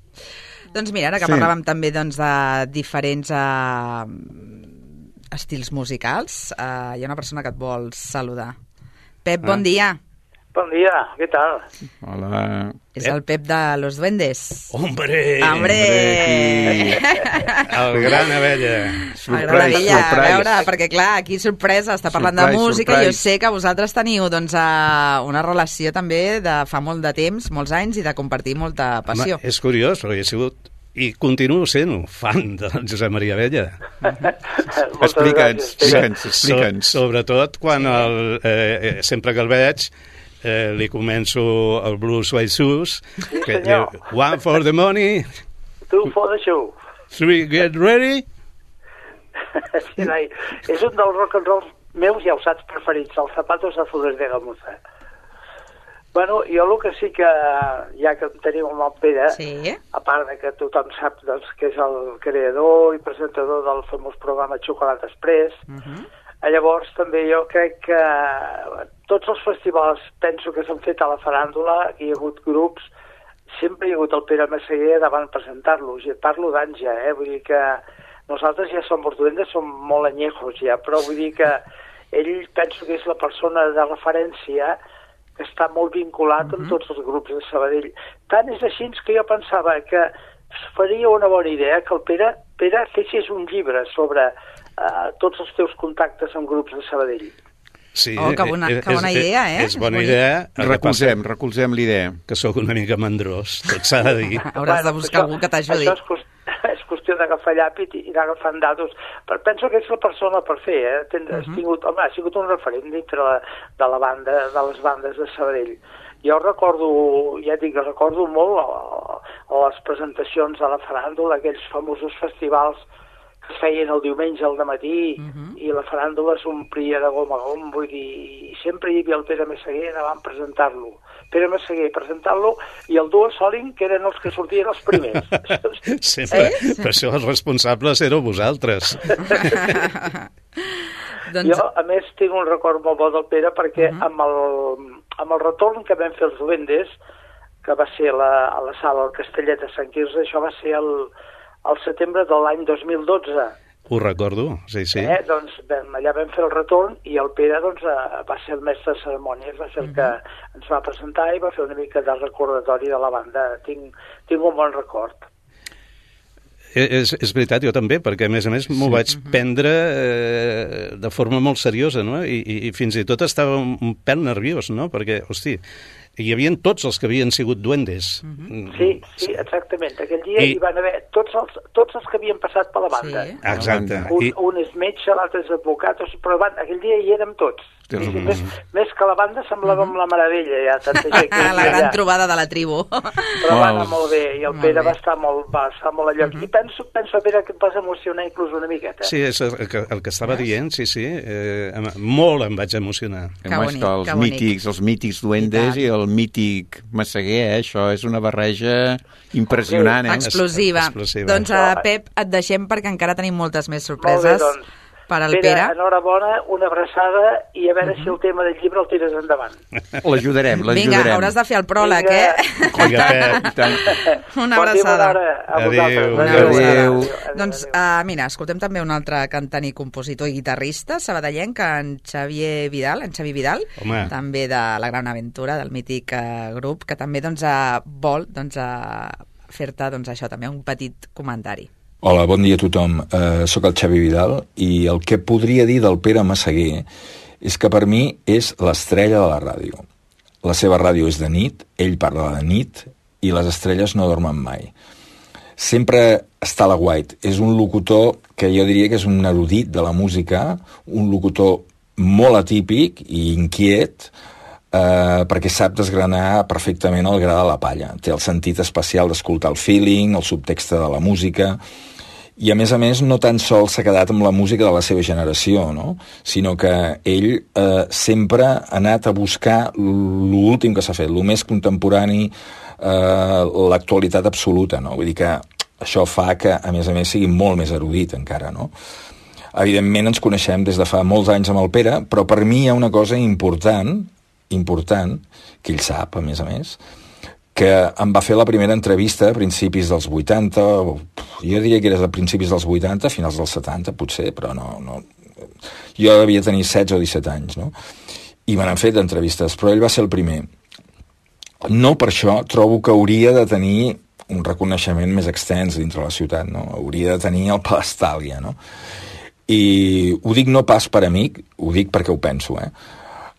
Speaker 3: Doncs mira, ara que
Speaker 4: Sí.
Speaker 3: parlàvem també doncs, de diferents uh, estils musicals, uh, hi ha una persona que et vol saludar. Pep, bon
Speaker 4: Ah.
Speaker 3: dia.
Speaker 8: Bon dia, què tal?
Speaker 4: Hola.
Speaker 3: És el Pep de Los Duendes.
Speaker 5: Hombre!
Speaker 3: Hombre!
Speaker 5: El gran Abella.
Speaker 3: M'agrada Abella, a veure, perquè clar, aquí sorpresa, està parlant
Speaker 4: Surprise,
Speaker 3: de música,
Speaker 4: surprise.
Speaker 3: jo sé que vosaltres teniu doncs, una relació també de fa molt de temps, molts anys, i de compartir molta passió.
Speaker 5: Home, és curiós, perquè he sigut i continuo sent fan de Josep Maria Abella.
Speaker 4: Explica'ns, explica'ns, explica'ns.
Speaker 5: So, sobretot quan el, eh, sempre que el veig eh, li començo el Blues White Shoes,
Speaker 8: Sí,
Speaker 5: que
Speaker 8: senyor.
Speaker 5: diu, one for the money,
Speaker 8: Two for the show.
Speaker 5: three get ready.
Speaker 8: Sí, noi, és un dels rock and roll meus, ja ho saps, preferits, els zapatos azules de gamuza. Bueno, jo el que sí que, ja que tenim el nom Pere,
Speaker 3: Sí.
Speaker 8: a part de que tothom sap doncs, que és el creador i presentador del famós programa Xocolata Express,
Speaker 3: Uh -huh.
Speaker 8: llavors també jo crec que tots els festivals penso que s'han fet a la faràndula, hi ha hagut grups, sempre hi ha hagut el Pere Massaguer davant presentar-los, i et parlo d'anys ja, eh? Vull dir que nosaltres ja som borduendes, som molt anyejos ja, però vull dir que ell penso que és la persona de referència que està molt vinculat amb tots els grups de Sabadell. Tant és així que jo pensava que faria una bona idea que el Pere, Pere fessis un llibre sobre uh, tots els teus contactes amb grups de Sabadell.
Speaker 5: Sí,
Speaker 3: Oh, que bona-
Speaker 5: eh,
Speaker 3: que bona idea, eh?
Speaker 5: És bona
Speaker 3: Bonic.
Speaker 5: idea. El que
Speaker 4: Recolzem,
Speaker 5: passa
Speaker 4: recolzem l'idea.
Speaker 5: que sóc una mica mandrós, tot s'ha de dir.
Speaker 3: Hauràs de buscar
Speaker 8: això-
Speaker 3: algú que t'ajudi.
Speaker 8: Això és, qüestió, és qüestió d'agafar llàpid i anar agafant datos. Però penso que és la persona per fer, eh? Ten, uh -huh. has tingut, home, ha sigut un referent dintre la, de la banda, de les bandes de Sabadell. Jo recordo, ja et dic, recordo molt a, a les presentacions a la faràndula, aquells famosos festivals que es feien el diumenge al dematí uh -huh. i la faràndula s'omplia de gom a gom, vull dir, i sempre hi havia el Pere Massaguer davant presentar-lo. Pere Massaguer presentant-lo i el Duo Soling, que eren els que sortien els primers.
Speaker 5: Sempre.
Speaker 3: Eh?
Speaker 5: Per això els responsables éreu vosaltres.
Speaker 3: Doncs,
Speaker 8: Jo, a més, tinc un record molt bo del Pere perquè uh -huh. amb, el, amb el retorn que vam fer els Duendes, que va ser la, a la sala del Castellet de Sant Quirze, això va ser el, el setembre de l'any dos mil dotze.
Speaker 5: Ho recordo, sí, sí.
Speaker 8: Eh? Doncs vam, allà vam fer el retorn i el Pere doncs, eh, va ser el mestre de cerimònies, va ser el que ens va presentar i va fer una mica de recordatori de la banda. Tinc, tinc un bon record.
Speaker 5: És, és veritat, jo també, perquè a més a més m'ho vaig prendre eh, de forma molt seriosa, no? I, i, i fins i tot estava un, un pèl nerviós, no? Perquè, hosti, hi havia tots els que havien sigut duendes.
Speaker 8: Sí, sí, exactament. Aquell dia
Speaker 5: I-
Speaker 8: hi van haver tots els, tots els que havien passat per la banda.
Speaker 3: Sí.
Speaker 5: Exacte.
Speaker 8: Un,
Speaker 5: I,
Speaker 8: un és metge, l'altre és advocat, o sigui, però van, aquell dia hi érem tots.
Speaker 4: Tens
Speaker 8: I
Speaker 4: raó.
Speaker 8: més, més que la banda semblàvem la meravella, ja, tanta gent que hi
Speaker 3: la
Speaker 8: havia
Speaker 3: gran
Speaker 8: allà.
Speaker 3: trobada de la tribu.
Speaker 8: Però va anar
Speaker 4: Molt.
Speaker 8: molt bé, i el
Speaker 3: Molt
Speaker 8: Pere
Speaker 3: bé.
Speaker 8: va estar molt, va estar molt a lloc. I penso, penso, Pere, que et vas emocionar inclús una miqueta.
Speaker 5: sí, és el que, el que estava dient, sí, sí. Eh, em- molt em vaig emocionar.
Speaker 3: Que
Speaker 4: Home,
Speaker 3: bonic,
Speaker 4: és que els
Speaker 3: que bonic.
Speaker 4: mítics, els mítics duendes
Speaker 3: I
Speaker 4: i, el mític Massaguer, eh? Això és una barreja impressionant, eh?
Speaker 3: Explosiva.
Speaker 5: Explosiva.
Speaker 3: Doncs, uh, Pep, et deixem perquè encara tenim moltes més
Speaker 8: Molt bé,
Speaker 3: sorpreses
Speaker 8: doncs.
Speaker 3: per al
Speaker 8: Pere,
Speaker 3: Pere.
Speaker 8: enhorabona, una abraçada i a veure si el tema del llibre el tires endavant.
Speaker 4: L'ajudarem, l'ajudarem.
Speaker 3: Vinga, hauràs de fer el pròleg,
Speaker 8: Vinga.
Speaker 3: eh?
Speaker 5: Vinga, Pep.
Speaker 4: I tant.
Speaker 3: Una
Speaker 8: Bon dia, bona
Speaker 3: abraçada.
Speaker 8: hora a
Speaker 5: Adéu.
Speaker 8: vosaltres.
Speaker 3: Una
Speaker 4: Adéu.
Speaker 3: abraçada.
Speaker 4: Adéu.
Speaker 3: Doncs, uh, mira, escoltem també un altre cantant i compositor i guitarrista sabadellenc, en Xavier Vidal, en Xavi Vidal,
Speaker 5: Home.
Speaker 3: també de La Gran Aventura, del mític uh, grup, que també doncs, uh, vol doncs, uh, fer-te doncs, això, també un petit comentari.
Speaker 9: Hola, bon dia a tothom. Uh, soc el Xavi Vidal i el que podria dir del Pere Massaguer és que per mi és l'estrella de la ràdio. La seva ràdio és de nit, ell parla de nit i les estrelles no dormen mai. Sempre està a la guait. És un locutor que jo diria que és un erudit de la música, un locutor molt atípic i inquiet, eh, perquè sap desgranar perfectament el gra de la palla. Té el sentit especial d'escoltar el feeling, el subtext de la música, i a més a més no tan sols s'ha quedat amb la música de la seva generació, no? Sinó que ell eh, sempre ha anat a buscar l'últim que s'ha fet, el més contemporani, eh, l'actualitat absoluta, no? Vull dir que això fa que, a més a més, sigui molt més erudit encara, no? Evidentment ens coneixem des de fa molts anys amb el Pere, però per mi hi ha una cosa important, important, que ell sap, a més a més, que em va fer la primera entrevista a principis dels vuitanta, o, jo diria que era a principis dels vuitanta, finals dels setanta, potser, però no, no. Jo devia tenir setze o disset anys, no? i me n'han fet entrevistes, però ell va ser el primer. No per això trobo que hauria de tenir un reconeixement més extens dintre la ciutat, no? Hauria de tenir el pedestal ja, no? I ho dic no pas per amic, ho dic perquè ho penso, eh?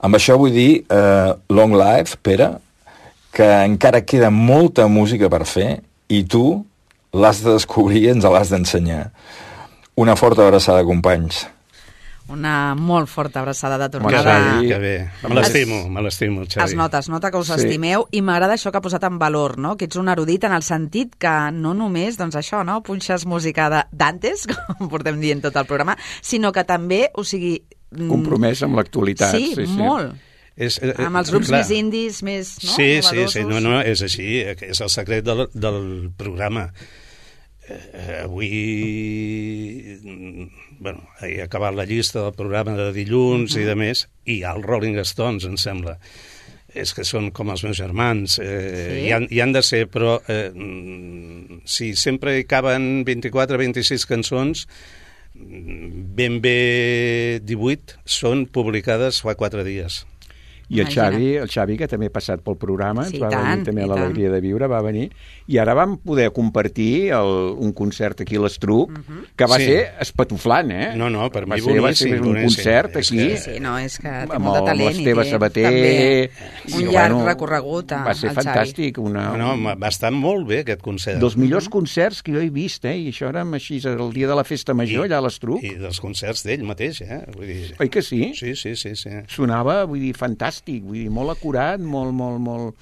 Speaker 9: Amb això vull dir eh, long life, Pere, que encara queda molta música per fer i tu l'has de descobrir i ens l'has d'ensenyar. Una forta abraçada, companys.
Speaker 3: Una molt forta abraçada de tornada.
Speaker 5: Xavi, que bé. Me l'estimo, me l'estimo, Xavi.
Speaker 3: Es nota, es nota que us
Speaker 4: Sí.
Speaker 3: estimeu i m'agrada això que ha posat en valor, no? Que ets un erudit en el sentit que no només, doncs això, no? Punxes música de d'antes, com portem dient tot el programa, sinó que també, o sigui... mm,
Speaker 4: Compromès amb l'actualitat.
Speaker 3: Sí,
Speaker 4: sí, sí.
Speaker 3: molt.
Speaker 5: És, eh,
Speaker 3: Amb els grups
Speaker 5: clar.
Speaker 3: més indis, més no?
Speaker 5: Sí, sí, sí,
Speaker 3: novedosos.
Speaker 5: no, no, és així, és el secret del, del programa. Eh, avui, bueno, he acabat la llista del programa de dilluns uh -huh. i de més, i hi ha els Rolling Stones, em sembla. És que són com els meus germans, eh,
Speaker 3: Sí?
Speaker 5: hi, han, hi han de ser, però eh, si sempre hi caben vint-i-quatre vint-i-sis cançons, ben bé divuit són publicades fa quatre dies.
Speaker 4: I el
Speaker 3: Imagina't.
Speaker 4: Xavi, el Xavi, que també ha passat pel programa,
Speaker 3: Sí,
Speaker 4: ens va
Speaker 3: i tant,
Speaker 4: venir també
Speaker 3: i
Speaker 4: a l'Alegria de Viure, va venir, i ara vam poder compartir el, un concert aquí a l'Estruc, que va
Speaker 5: Sí.
Speaker 4: ser espatuflant, eh?
Speaker 5: No, no, per
Speaker 4: va
Speaker 5: mi
Speaker 4: ser, va ser
Speaker 5: boníssim,
Speaker 4: un
Speaker 5: boníssim.
Speaker 4: concert
Speaker 5: És
Speaker 4: aquí,
Speaker 5: que-
Speaker 3: Sí, no, és que té
Speaker 4: amb
Speaker 3: molt de
Speaker 4: el-
Speaker 3: talent
Speaker 4: amb l'Esteve
Speaker 3: i té
Speaker 4: Sabater,
Speaker 3: també un
Speaker 4: i,
Speaker 3: llarg
Speaker 4: bueno,
Speaker 3: recorregut a,
Speaker 4: va ser
Speaker 3: al Xavi.
Speaker 4: fantàstic, una,
Speaker 5: No, no, va estar molt bé aquest concert.
Speaker 4: dels millors concerts que jo he vist, eh? I això érem així el dia de la festa major, allà a l'Estruc.
Speaker 5: I dels concerts d'ell mateix, eh? Vull dir...
Speaker 4: Oi que sí?
Speaker 5: Sí, sí, sí, sí.
Speaker 4: Sonava, vull dir, fantàstic, vull dir, molt acurat, molt, molt, molt...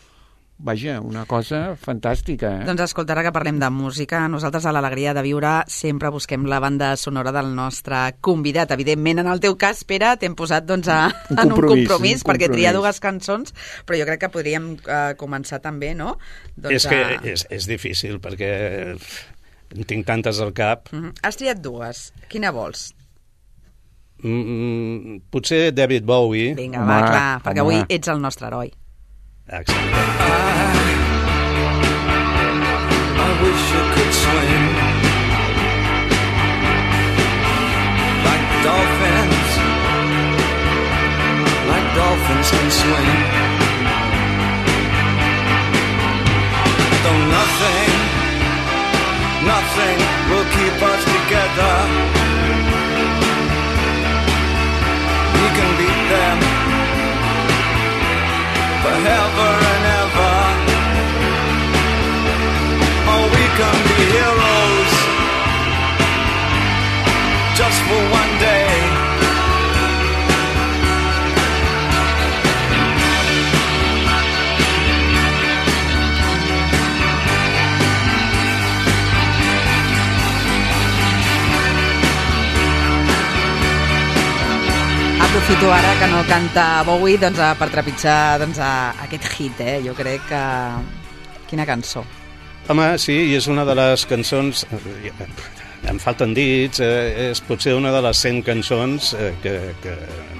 Speaker 4: Vaja, una cosa fantàstica, eh?
Speaker 3: Doncs escolta, ara que parlem de música, nosaltres a l'Alegria de Viure sempre busquem la banda sonora del nostre convidat. Evidentment, en el teu cas, Pere, t'hem posat doncs, a,
Speaker 4: Un
Speaker 3: en un
Speaker 4: compromís,
Speaker 3: compromís,
Speaker 4: un
Speaker 3: perquè tria
Speaker 4: compromís.
Speaker 3: dues cançons, però jo crec que podríem eh, començar també, no? Doncs,
Speaker 5: És que
Speaker 3: a...
Speaker 5: és, és difícil, perquè en tinc tantes al cap.
Speaker 3: Mhm. Has triat dues. Quina vols?
Speaker 5: Mm, potser David Bowie.
Speaker 3: Vinga,
Speaker 4: Home,
Speaker 3: va, clar, perquè
Speaker 4: home.
Speaker 3: avui ets el nostre heroi.
Speaker 5: Exacte.
Speaker 10: I wish I could swim like dolphins, like dolphins can swim. Though nothing, nothing will keep us together. We can beat them forever and ever. Oh, we can be heroes just for one day.
Speaker 3: Aprofito ara que no canta Bowie doncs, a- per trepitjar doncs, a, aquest hit, eh? Jo crec que... Quina cançó.
Speaker 5: Home, sí, i és una de les cançons... eh, Em falten dits, eh, és potser una de les cent cançons eh, que, que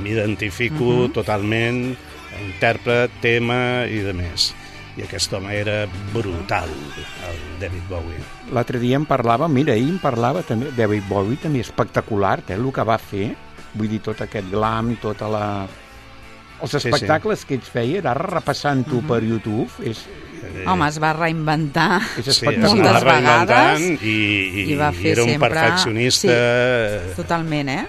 Speaker 5: m'identifico uh -huh. totalment, intèrpret, tema i de més. I aquest home era brutal, el David Bowie.
Speaker 4: L'altre dia em parlava, mira, ahir em parlava també, David Bowie també espectacular, eh, el que va fer, vull dir, tot aquest glam, tota la... Els espectacles sí, sí. que ell feia, ara repassant-ho uh-huh. per YouTube, és...
Speaker 3: Eh, Home, es va reinventar
Speaker 4: és
Speaker 5: sí,
Speaker 3: moltes vegades
Speaker 5: i, i,
Speaker 3: i va fer
Speaker 5: i era un
Speaker 3: sempre...
Speaker 5: perfeccionista.
Speaker 3: Sí, totalment, eh?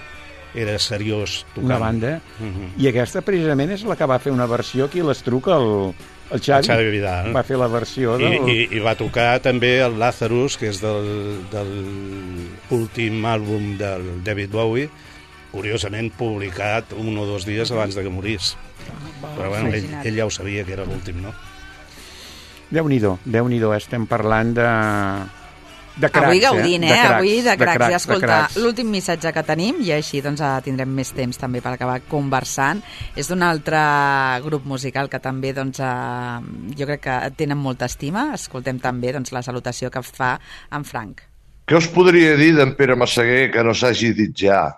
Speaker 5: Era seriós tocant.
Speaker 4: Una banda.
Speaker 5: Uh-huh.
Speaker 4: I aquesta precisament és la que va fer una versió aquí a l'Estruc, el, el Xavi.
Speaker 5: El Xavi Vidal.
Speaker 4: Va fer la versió del...
Speaker 5: I, i, I va tocar també el Lazarus, que és del, del últim àlbum del David Bowie, curiosament publicat un o dos dies abans de que morís. Però bueno, ell, ell ja ho sabia que era l'últim, no?
Speaker 4: Déu-n'hi-do, Déu-n'hi-do, estem parlant de... de cracs,
Speaker 3: Avui gaudint, eh?
Speaker 4: De cracs,
Speaker 3: Avui de cracs.
Speaker 4: cracs
Speaker 3: I escolta,
Speaker 4: cracs.
Speaker 3: l'últim missatge que tenim, i així doncs, tindrem més temps també per acabar conversant, és d'un altre grup musical que també doncs, eh, jo crec que tenen molta estima. Escoltem també doncs, la salutació que fa en Frank.
Speaker 11: Què us podria dir d'en Pere Massaguer que no s'hagi dit ja?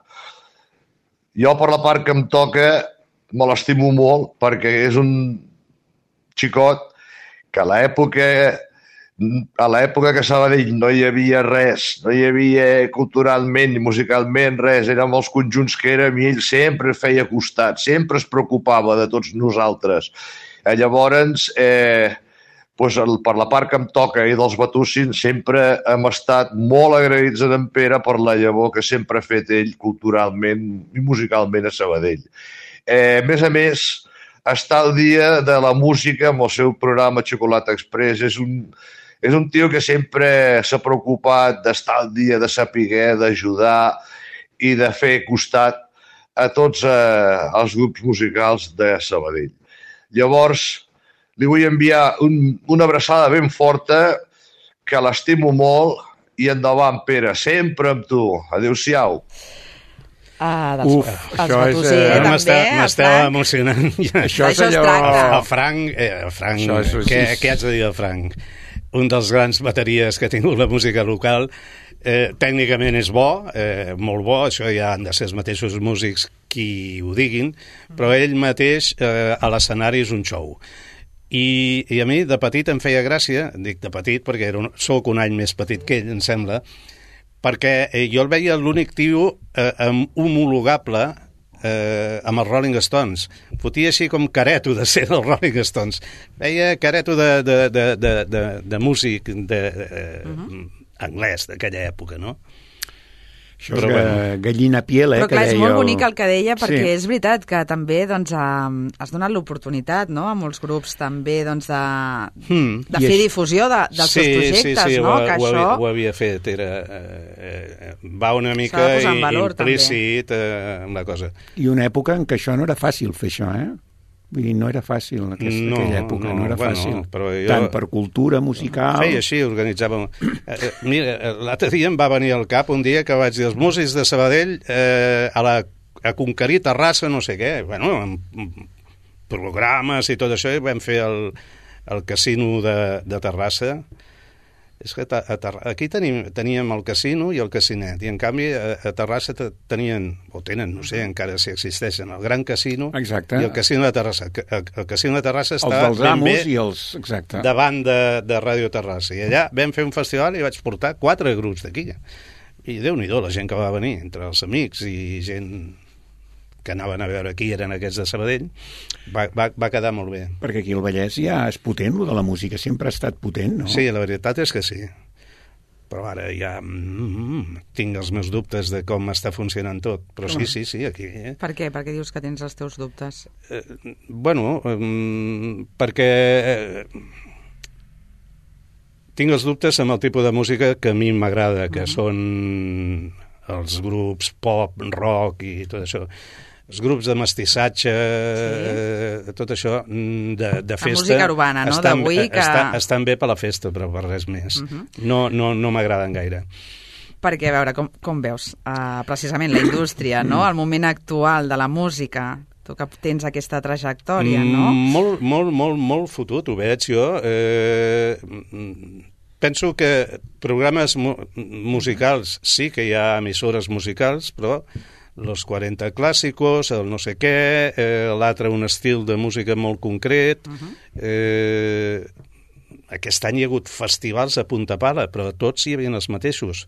Speaker 11: Jo, per la part que em toca, me l'estimo molt perquè és un xicot que a l'època a l'època que a Sabadell no hi havia res, no hi havia culturalment ni musicalment res, érem els conjunts que érem i ell sempre feia costat, sempre es preocupava de tots nosaltres. Eh, llavors, eh, doncs el, per la part que em toca i dels Batussins, sempre hem estat molt agraïts a en Pere per la llavor que sempre ha fet ell culturalment i musicalment a Sabadell. Eh, a més a més, estar al dia de la música amb el seu programa Xocolata Express és un... És un tio que sempre s'ha preocupat d'estar al dia, de saber, d'ajudar i de fer costat a tots eh, els grups musicals de Sabadell. Llavors, li vull enviar un, una abraçada ben forta, que l'estimo molt, i endavant, Pere, sempre amb tu. Adéu-siau.
Speaker 3: Ah, dels,
Speaker 5: Uf,
Speaker 3: els
Speaker 5: això és...
Speaker 3: Batussers,
Speaker 5: Eh,
Speaker 3: també,
Speaker 5: M'esteu
Speaker 3: el Frank.
Speaker 5: emocionant.
Speaker 3: Això és allò...
Speaker 5: El Frank, eh, el Frank
Speaker 4: Això és-
Speaker 5: què, què haig de dir del Frank? Un dels grans bateries que ha tingut la música local. Eh, tècnicament és bo, eh, molt bo, això ja han de ser els mateixos músics qui ho diguin, però ell mateix eh, a l'escenari és un show. I, I a mi de petit em feia gràcia, dic de petit perquè era un, soc un any més petit que ell, em sembla, perquè eh, jo el veia l'únic tio eh, amb homologable eh, amb els Rolling Stones. Fotia així com careto de ser els Rolling Stones. Veia careto de, de, de, de, de, de músic de, eh, uh-huh. anglès d'aquella època, no?
Speaker 4: Això és ga, gallina piel, eh?
Speaker 3: Però clar,
Speaker 4: que
Speaker 3: és
Speaker 4: deia
Speaker 3: molt
Speaker 4: el-
Speaker 3: bonic el que deia, perquè
Speaker 4: Sí.
Speaker 3: és veritat que també doncs, eh, has donat l'oportunitat, no?, a molts grups també doncs, de,
Speaker 5: Hmm.
Speaker 3: de
Speaker 4: I
Speaker 3: fer
Speaker 4: és-
Speaker 3: difusió de, dels
Speaker 5: sí,
Speaker 3: seus projectes,
Speaker 5: sí, sí,
Speaker 3: no?,
Speaker 5: ho,
Speaker 3: que
Speaker 5: ho,
Speaker 3: això...
Speaker 5: havia, ho havia fet, era, eh, eh, va una mica
Speaker 3: S'ha de posar en valor,
Speaker 5: implícit eh, amb la cosa.
Speaker 4: I una època en què això no era fàcil fer això, eh? Vull dir, no era fàcil en aquesta,
Speaker 5: No,
Speaker 4: aquella època, no,
Speaker 5: no,
Speaker 4: era
Speaker 5: bueno,
Speaker 4: fàcil.
Speaker 5: però jo-
Speaker 4: Tant per cultura musical...
Speaker 5: Feia així, organitzàvem... Eh, eh, mira, eh, l'altre dia em va venir al cap un dia que vaig dir els músics de Sabadell eh, a, la, a conquerir Terrassa, no sé què, bueno, amb, amb programes i tot això, i vam fer el, el casino de, de Terrassa. És que a, a, aquí tenim, teníem el casino i el casinet, i en canvi a, a Terrassa te- tenien, o tenen, no sé encara si existeixen, el Gran Casino
Speaker 4: Exacte.
Speaker 5: i el Casino de Terrassa. El, el Casino de Terrassa
Speaker 4: Els
Speaker 5: està
Speaker 4: dels
Speaker 5: ben
Speaker 4: amos
Speaker 5: bé
Speaker 4: i els... Exacte.
Speaker 5: davant de, de Ràdio Terrassa. I allà vam fer un festival i vaig portar quatre grups d'aquí. I Déu-n'hi-do, la gent que va venir, entre els amics i gent que anaven a veure qui eren aquests de Sabadell, va, va, va quedar molt bé.
Speaker 4: Perquè aquí el Vallès ja és potent, lo de la música sempre ha estat potent, no?
Speaker 5: Sí, la veritat és que sí. Però ara ja mm, tinc els meus dubtes de com està funcionant tot. Però sí, sí, sí, aquí... Eh?
Speaker 3: Per què? Per què dius que tens els teus dubtes?
Speaker 5: Eh, bueno, eh, perquè... Eh, tinc els dubtes amb el tipus de música que a mi m'agrada, que uh-huh. són els grups pop, rock i tot això. Els grups de mestissatge, sí. tot això de, de festa...
Speaker 3: La música urbana, no?,
Speaker 5: estan,
Speaker 3: d'avui que...
Speaker 5: Estan, estan bé per la festa, però per res més. Uh-huh. No, no, no m'agraden gaire.
Speaker 3: Perquè, a veure, com, com veus uh, precisament la indústria, no?, el moment actual de la música, tu que tens aquesta trajectòria, no?
Speaker 5: Mm, molt, molt, molt, molt fotut, ho veig jo. Eh, penso que programes mu musicals, sí que hi ha emissores musicals, però los quaranta clàssicos, el no sé què, eh, l'altre un estil de música molt concret. Uh-huh. eh, aquest any hi ha hagut festivals a punta pala, però tots hi havia els mateixos.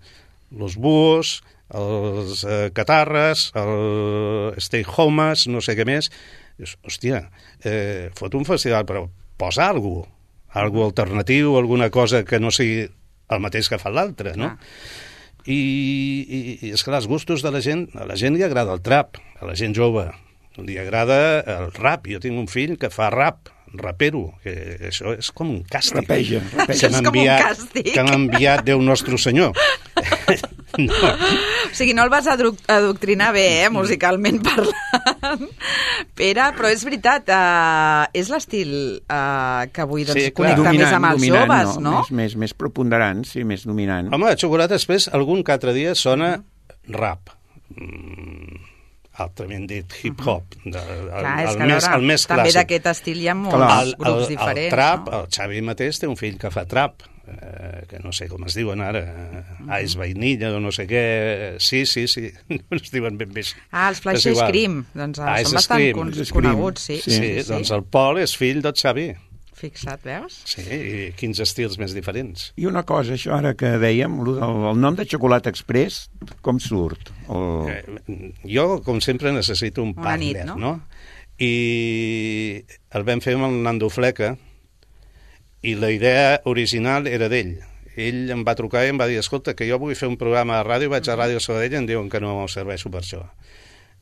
Speaker 5: Los Búhos, els eh, Catarres, el Stay Homes, no sé què més. Dius, hòstia, eh, fot un festival, però posa alguna cosa, algo alternatiu, alguna cosa que no sigui el mateix que fa l'altre, no? Ah. I, i, i és que els gustos de la gent, a la gent li agrada el trap, a la gent jove li agrada el rap. Jo tinc un fill que fa rap, rapero, que això és com un càstig.
Speaker 4: Rapeja, rapeja.
Speaker 3: És com un càstig.
Speaker 5: Que m'ha enviat Déu Nostre Senyor. No.
Speaker 3: O sigui, no el vas adoctrinar bé, eh, musicalment parlant, Pere, però és veritat, uh, és l'estil uh, que avui doncs,
Speaker 5: Sí, clar.
Speaker 3: connecta
Speaker 4: Dominant,
Speaker 3: més amb els
Speaker 4: dominant,
Speaker 3: joves, no?
Speaker 4: Més, més, més preponderant, sí, més dominant.
Speaker 5: Home, Xocolata Express algun que altre dia sona rap. Mm, altrament dit hip-hop. De, el,
Speaker 3: Clar, és
Speaker 5: el,
Speaker 3: que,
Speaker 5: més,
Speaker 3: veure,
Speaker 5: el més
Speaker 3: també
Speaker 5: clàssic.
Speaker 3: d'aquest estil hi ha molts
Speaker 4: Clar.
Speaker 5: el,
Speaker 3: grups
Speaker 5: el,
Speaker 3: diferents.
Speaker 5: el trap,
Speaker 3: no?
Speaker 5: el Xavi mateix té un fill que fa trap, eh, que no sé com es diuen ara, uh-huh. Ice Vainilla o no sé què, sí, sí, sí, no es diuen ben bé.
Speaker 3: Ah, els Flash
Speaker 5: És igual.
Speaker 3: Scream, doncs ah,
Speaker 5: Ice
Speaker 3: són bastant
Speaker 5: Scream.
Speaker 3: con
Speaker 4: Scream.
Speaker 3: coneguts, sí.
Speaker 5: Sí, sí, sí, doncs el Pol és fill del Xavi.
Speaker 3: Fixa't, veus?
Speaker 5: Sí, i quins estils més diferents.
Speaker 4: I una cosa, això ara que dèiem, el, el nom de Xocolata Express, com surt? El...
Speaker 5: Eh, jo, com sempre, necessito un
Speaker 3: Una
Speaker 5: partner,
Speaker 3: nit, no?
Speaker 5: no? I el vam fer amb el Nando Fleca, i la idea original era d'ell. Ell em va trucar i em va dir, escolta, que jo vull fer un programa de ràdio, vaig a Ràdio Sabadell i em diuen que no serveixo per això.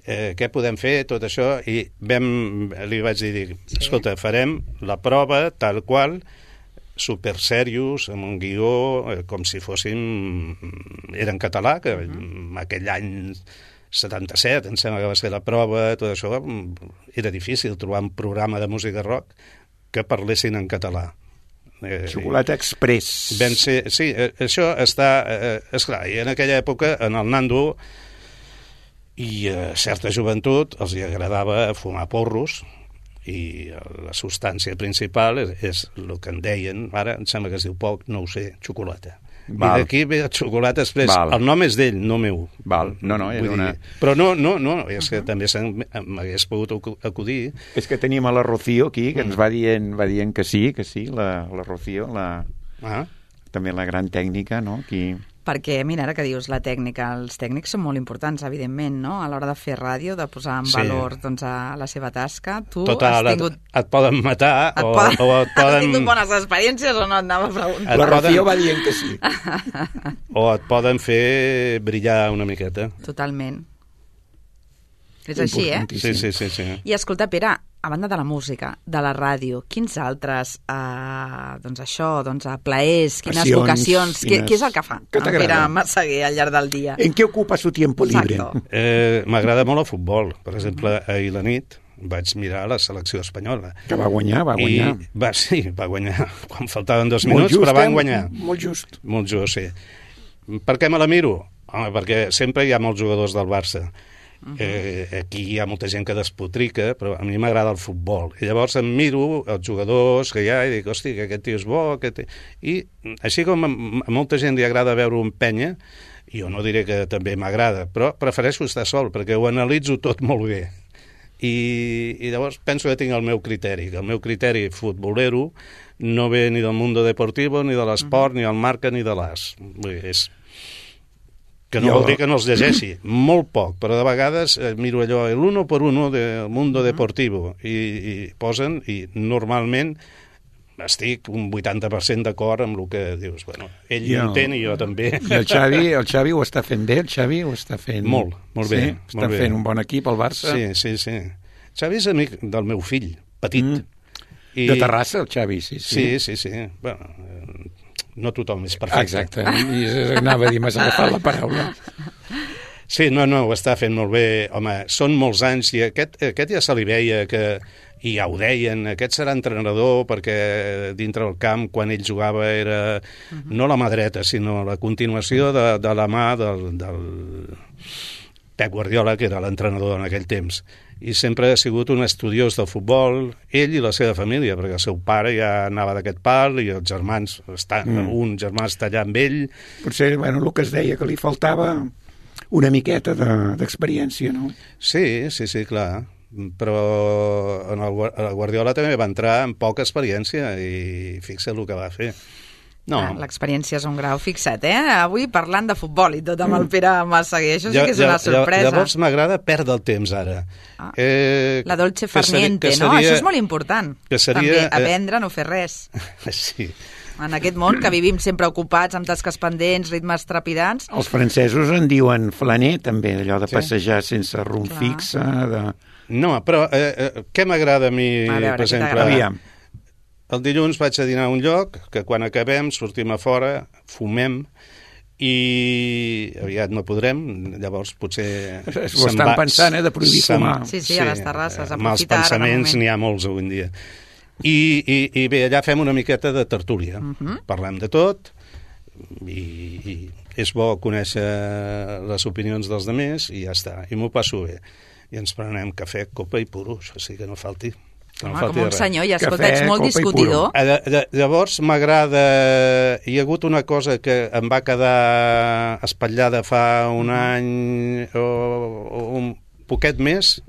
Speaker 5: Eh, què podem fer, tot això? I vam, li vaig dir, escolta, farem la prova tal qual, super serios, amb un guió, eh, com si fóssim... Era en català, que uh-huh. aquell any setanta-set, em sembla que va ser la prova, tot això, era difícil trobar un programa de música rock que parlessin en català.
Speaker 4: Eh, Xocolata Express.
Speaker 5: Ben ser, sí, eh, això està... Eh, esclar, i en aquella època, en el Nando i a certa joventut els hi agradava fumar porros, i la substància principal és, és el que en deien, ara em sembla que es diu poc, no ho sé, xocolata. Val. I d'aquí ve el Xocolata Express. Val. El nom és d'ell, no meu.
Speaker 4: Val. No, no, és una...
Speaker 5: dir, però no, no, no, és que uh-huh. també m'hagués pogut acudir.
Speaker 4: És que tenim a la Rocío aquí, que mm. ens va dient, va dient que sí, que sí, la, la Rocío, la... Ah. també la gran tècnica, no? Qui...
Speaker 3: Perquè, mira, ara que dius la tècnica, els tècnics són molt importants, evidentment, no? A l'hora de fer ràdio, de posar en sí. valor doncs, a la seva tasca. Tu
Speaker 5: Total,
Speaker 3: has tingut...
Speaker 5: et, et poden matar
Speaker 3: et
Speaker 5: o,
Speaker 3: poden...
Speaker 5: o et poden...
Speaker 3: Has tingut bones experiències o no? Et anava a preguntar.
Speaker 4: La Rocío va dient que sí.
Speaker 5: O et poden fer brillar una miqueta.
Speaker 3: Totalment. És així, eh?
Speaker 5: Sí, sí, sí, sí.
Speaker 3: I escolta, Pere, a banda de la música, de la ràdio, quins altres, eh, doncs això, doncs a plaers, quines
Speaker 4: Passions,
Speaker 3: vocacions,
Speaker 4: quines...
Speaker 3: què, què és el que fa
Speaker 4: que
Speaker 3: en Pere Massaguer al llarg del dia?
Speaker 4: En què ocupa su tiempo libre?
Speaker 5: Eh, M'agrada molt el futbol. Per exemple, ahir la nit vaig mirar la selecció espanyola.
Speaker 4: Que va guanyar, va guanyar.
Speaker 5: I va, sí, va guanyar quan faltaven dos minuts, just, però van guanyar.
Speaker 4: Eh? Molt just.
Speaker 5: Molt just, sí. Per què me la miro? Home, perquè sempre hi ha molts jugadors del Barça. Uh-huh. Eh, aquí hi ha molta gent que despotrica, però a mi m'agrada el futbol, i llavors em miro els jugadors que hi ha i dic, hosti, que aquest tio és bo, aquest... i així com a molta gent li agrada veure un penya, jo no diré que també m'agrada, però prefereixo estar sol perquè ho analitzo tot molt bé, i, i llavors penso que tinc el meu criteri, que el meu criteri futbolero no ve ni del Mundo Deportivo, ni de l'esport, uh-huh. ni del Marca, ni de l'As. Vull dir, és que no jo... vol dir que no els llegeixi, molt poc, però de vegades eh, miro allò, el uno por uno del Mundo Deportivo, i, i posen, i normalment estic un vuitanta per cent d'acord amb el que dius. Bueno, ell jo... entén i jo també.
Speaker 4: I el Xavi, el Xavi ho està fent bé, el Xavi ho està fent...
Speaker 5: Molt, molt bé.
Speaker 4: Sí? Està
Speaker 5: molt
Speaker 4: fent
Speaker 5: bé.
Speaker 4: un bon equip, el Barça.
Speaker 5: Sí, sí, sí. Xavi és amic del meu fill, petit. Mm.
Speaker 4: I... De Terrassa, el Xavi, sí.
Speaker 5: Sí, sí, sí. sí. Bueno, no tothom és perfecte.
Speaker 4: Exacte, i anava a dir, m'has agafat la paraula.
Speaker 5: Sí, no, no, ho està fent molt bé. Home, són molts anys i aquest, aquest ja se li veia que, i ja ho deien, aquest serà entrenador perquè dintre del camp, quan ell jugava, era uh-huh. no la mà dreta, sinó la continuació de, de la mà del, del Pep Guardiola, que era l'entrenador en aquell temps. I sempre ha sigut un estudiós del futbol, ell i la seva família, perquè el seu pare ja anava d'aquest pal i els germans, estan, mm. un germà està allà amb ell.
Speaker 4: Potser, bueno, el que es deia, que li faltava una miqueta d'experiència, de, no?
Speaker 5: Sí, sí, sí, clar. Però en el, el Guardiola també va entrar amb poca experiència i fixa el que va fer. No.
Speaker 3: Ah, l'experiència és un grau fixat, eh? Avui parlant de futbol i tot amb el Pere Massaguer. Això sí que és una sorpresa.
Speaker 5: Llavors m'agrada perdre el temps ara.
Speaker 3: Ah. Eh, la dolce farniente, seria, no? Seria, això és molt important. Que seria, també, aprendre a no fer res.
Speaker 5: Sí.
Speaker 3: En aquest món que vivim sempre ocupats amb tasques pendents, ritmes trepidants.
Speaker 4: Els francesos en diuen flaner, també, allò de sí? passejar sense rumb
Speaker 3: Clar.
Speaker 4: fixe. De...
Speaker 5: No, però eh, eh, què m'agrada a mi,
Speaker 3: a veure,
Speaker 5: per exemple...
Speaker 4: Aviam.
Speaker 5: El dilluns vaig a dinar a un lloc que quan acabem sortim a fora, fumem i aviat no podrem, llavors potser...
Speaker 4: Ho estan va, pensant, eh, de prohibir fumar.
Speaker 3: Sí, sí, a les terrasses, aprofitar.
Speaker 5: Mals pensaments n'hi ha molts avui en dia. I, i, i bé, allà fem una miqueta de tertúlia. Uh -huh. Parlem de tot i, i és bo conèixer les opinions dels altres i ja està. I m'ho passo bé. I ens prenem cafè, copa i puros, així que no falti.
Speaker 3: No Home, com un senyor, ja escolta, ets molt discutidor.
Speaker 5: Llavors m'agrada... Hi ha hagut una cosa que em va quedar espatllada fa un any o, o un poquet més,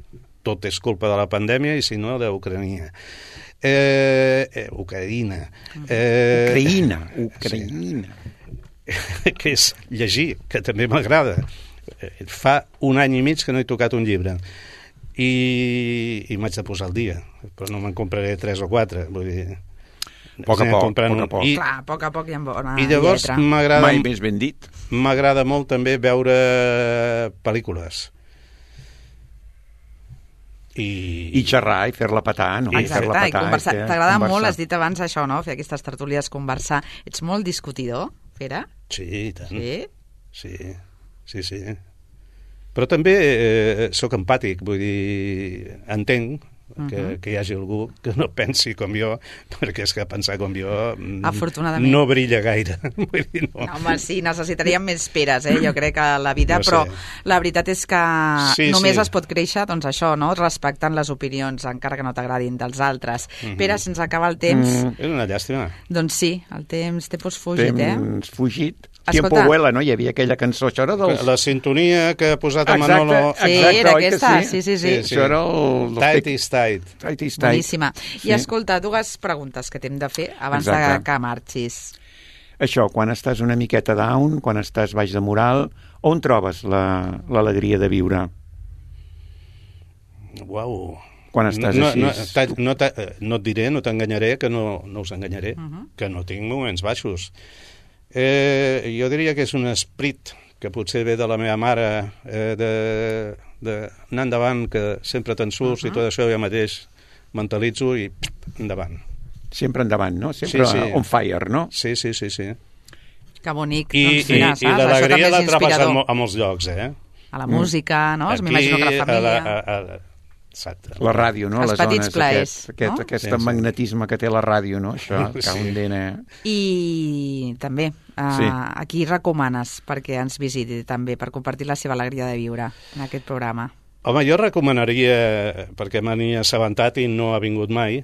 Speaker 5: tot és culpa de la pandèmia i si no, d'Ucrania. Eh, eh, Ucraïna. Eh,
Speaker 4: Ucraïna, Ucraïna.
Speaker 5: Que és llegir, que també m'agrada. Fa un any i mig que no he tocat un llibre. I, i m'haig de posar al dia, però no me'n compraré tres o quatre, vull dir...
Speaker 4: A poc a poc, poc a poc.
Speaker 3: I, Clar, a poc a poc hi ha bona
Speaker 5: I llavors
Speaker 3: lletra.
Speaker 5: m'agrada...
Speaker 4: Mai més ben dit.
Speaker 5: M'agrada molt també veure pel·lícules. I,
Speaker 4: I xerrar, i fer-la petar, no?
Speaker 3: Exacte,
Speaker 4: fer-la petar,
Speaker 3: i conversar.
Speaker 4: fer-
Speaker 3: T'agrada
Speaker 4: conversar.
Speaker 3: molt, has dit abans això, no? Fer aquestes tertúlies, conversar. Ets molt discutidor, Pere?
Speaker 5: Sí, i tant.
Speaker 3: Sí?
Speaker 5: Sí, sí, sí. Però també eh, sóc empàtic, vull dir, entenc que,
Speaker 3: Mhm.
Speaker 5: que hi hagi algú que no pensi com jo, perquè és que pensar com jo mm,
Speaker 3: Afortunadament.
Speaker 5: no brilla gaire. Vull dir, no.
Speaker 3: No, home, sí, necessitaríem més peres, eh? Jo crec que a la vida,
Speaker 5: No sé.
Speaker 3: però la veritat és que
Speaker 5: Sí,
Speaker 3: només
Speaker 5: sí.
Speaker 3: es pot créixer, doncs això, no? Respectant les opinions, encara que no t'agradin dels altres.
Speaker 5: Mhm.
Speaker 3: Pere, se'ns acaba el temps.
Speaker 4: Mm.
Speaker 5: És una llàstima.
Speaker 3: Doncs sí, el temps té pues fugit, eh?
Speaker 4: Temps fugit.
Speaker 3: Escolta.
Speaker 4: Tiempo vuela, no? Hi havia aquella cançó, això era dels...
Speaker 5: La sintonia que ha posat el
Speaker 4: Exacte,
Speaker 5: Manolo...
Speaker 3: Sí,
Speaker 4: exacte,
Speaker 3: era
Speaker 4: oi que
Speaker 3: aquesta, sí, sí, sí.
Speaker 4: Això era el...
Speaker 5: Tight is tight.
Speaker 4: Tight is tight.
Speaker 3: Boníssima.
Speaker 4: Sí.
Speaker 3: I escolta, dues preguntes que t'hem de fer abans
Speaker 4: Exacte.
Speaker 3: de que marxis.
Speaker 4: Això, quan estàs una miqueta down, quan estàs baix de moral, on trobes la- l'alegria de viure?
Speaker 5: Uau.
Speaker 4: Quan estàs
Speaker 5: no,
Speaker 4: així?
Speaker 5: No, ta- no, ta- no et diré, no t'enganyaré, que no, no us enganyaré,
Speaker 3: Mhm.
Speaker 5: que no tinc moments baixos. Eh, jo diria que és un esprit que potser ve de la meva mare, eh, de, de anar endavant, que sempre te'n surts, i tot això jo mateix mentalitzo i endavant.
Speaker 4: Sempre endavant, no? Sempre on fire, no?
Speaker 5: Sí, sí, sí, sí.
Speaker 3: Que bonic.
Speaker 5: I,
Speaker 3: doncs
Speaker 5: i,
Speaker 3: mira,
Speaker 5: i
Speaker 3: saps? Això també
Speaker 5: l'alegria
Speaker 3: és
Speaker 5: la trobes a,
Speaker 3: inspirador.
Speaker 5: mo- a molts llocs, eh?
Speaker 3: A la música, no?
Speaker 5: Aquí,
Speaker 3: M'imagino que la família...
Speaker 5: A la, a, a, exacte.
Speaker 4: La ràdio, no?
Speaker 3: Els
Speaker 4: Les
Speaker 3: petits
Speaker 4: ones,
Speaker 3: plaers,
Speaker 4: aquest, aquest,
Speaker 3: no?
Speaker 4: aquest
Speaker 5: Sí, sí.
Speaker 4: magnetisme que té la ràdio, no? Això,
Speaker 5: Sí.
Speaker 4: que un dena...
Speaker 3: I també, uh,
Speaker 4: Sí.
Speaker 3: a qui recomanes perquè ens visiti també, per compartir la seva alegria de viure en aquest programa?
Speaker 5: Home, jo recomanaria, perquè me n'he assabentat i no ha vingut mai,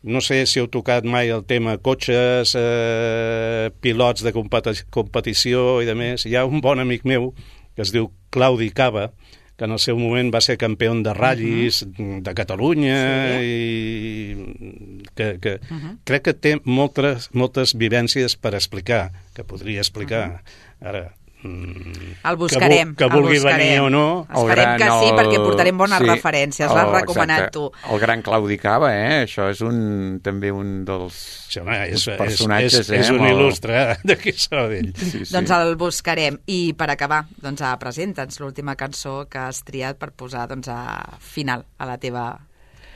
Speaker 5: no sé si heu tocat mai el tema cotxes, eh, pilots de competi competició i de més. Hi ha un bon amic meu que es diu Claudi Cava, que en el seu moment va ser campió de ratllis uh -huh. de Catalunya, sí. i que, que uh -huh. crec que té moltes, moltes vivències per explicar, que podria explicar. Uh -huh. Ara,
Speaker 3: el buscarem.
Speaker 5: Que, que
Speaker 3: el
Speaker 5: vulgui
Speaker 3: buscarem.
Speaker 5: venir o no.
Speaker 3: Esperem que sí,
Speaker 4: el...
Speaker 3: perquè portarem bones
Speaker 4: sí,
Speaker 3: referències. L'has
Speaker 4: el-
Speaker 3: recomanat
Speaker 4: exacte.
Speaker 3: tu.
Speaker 4: El gran Claudi Cava, eh? Això és un, també un dels
Speaker 5: Sí, home, és,
Speaker 4: personatges,
Speaker 5: és, és,
Speaker 4: eh?
Speaker 5: és un
Speaker 4: amb el-
Speaker 5: il·lustre d'aquí Sabadell.
Speaker 4: Sí, sí.
Speaker 3: Doncs el buscarem. I per acabar, doncs, a presenta'ns l'última cançó que has triat per posar doncs, a final a la teva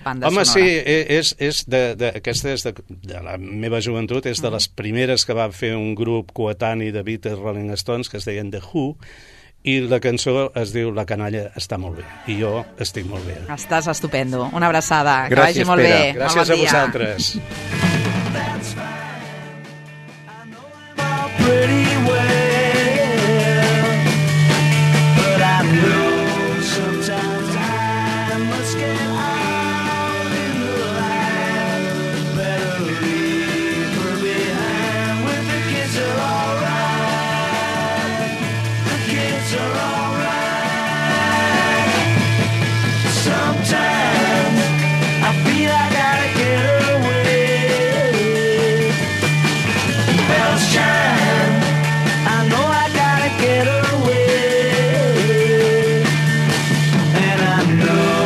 Speaker 3: banda
Speaker 5: Home,
Speaker 3: sonora.
Speaker 5: sí, és, és de, de, aquesta és de, de la meva joventut, és de les primeres que va fer un grup coetani de Beatles Rolling Stones, que es deien The Who, i la cançó es diu La canalla està molt bé, i jo estic molt bé.
Speaker 3: Estàs estupendo. Una abraçada. Que
Speaker 4: Gràcies,
Speaker 3: vagi molt
Speaker 4: Pere.
Speaker 3: bé.
Speaker 5: Gràcies
Speaker 3: Molt bon
Speaker 5: a
Speaker 3: dia.
Speaker 5: vosaltres.
Speaker 10: pretty well, but I know sometimes I must get out in the light. Better leave her behind with the kids are alright. The kids are alright. Sometimes I feel I gotta get away. Bells chime, I know I gotta get away. And I know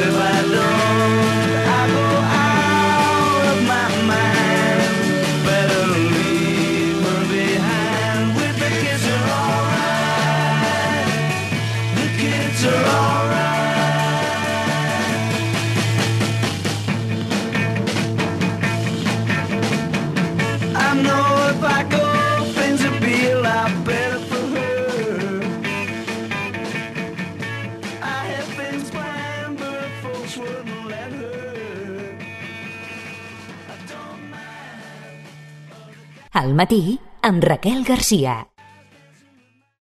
Speaker 10: if I don't, I go out of my mind. Better leave her behind with the kids are alright. The kids are alright. I know if I go, things will be a lot better for her. I had things planned, but folks wouldn't let her. I don't mind.
Speaker 1: Al matí, amb Raquel Garcia.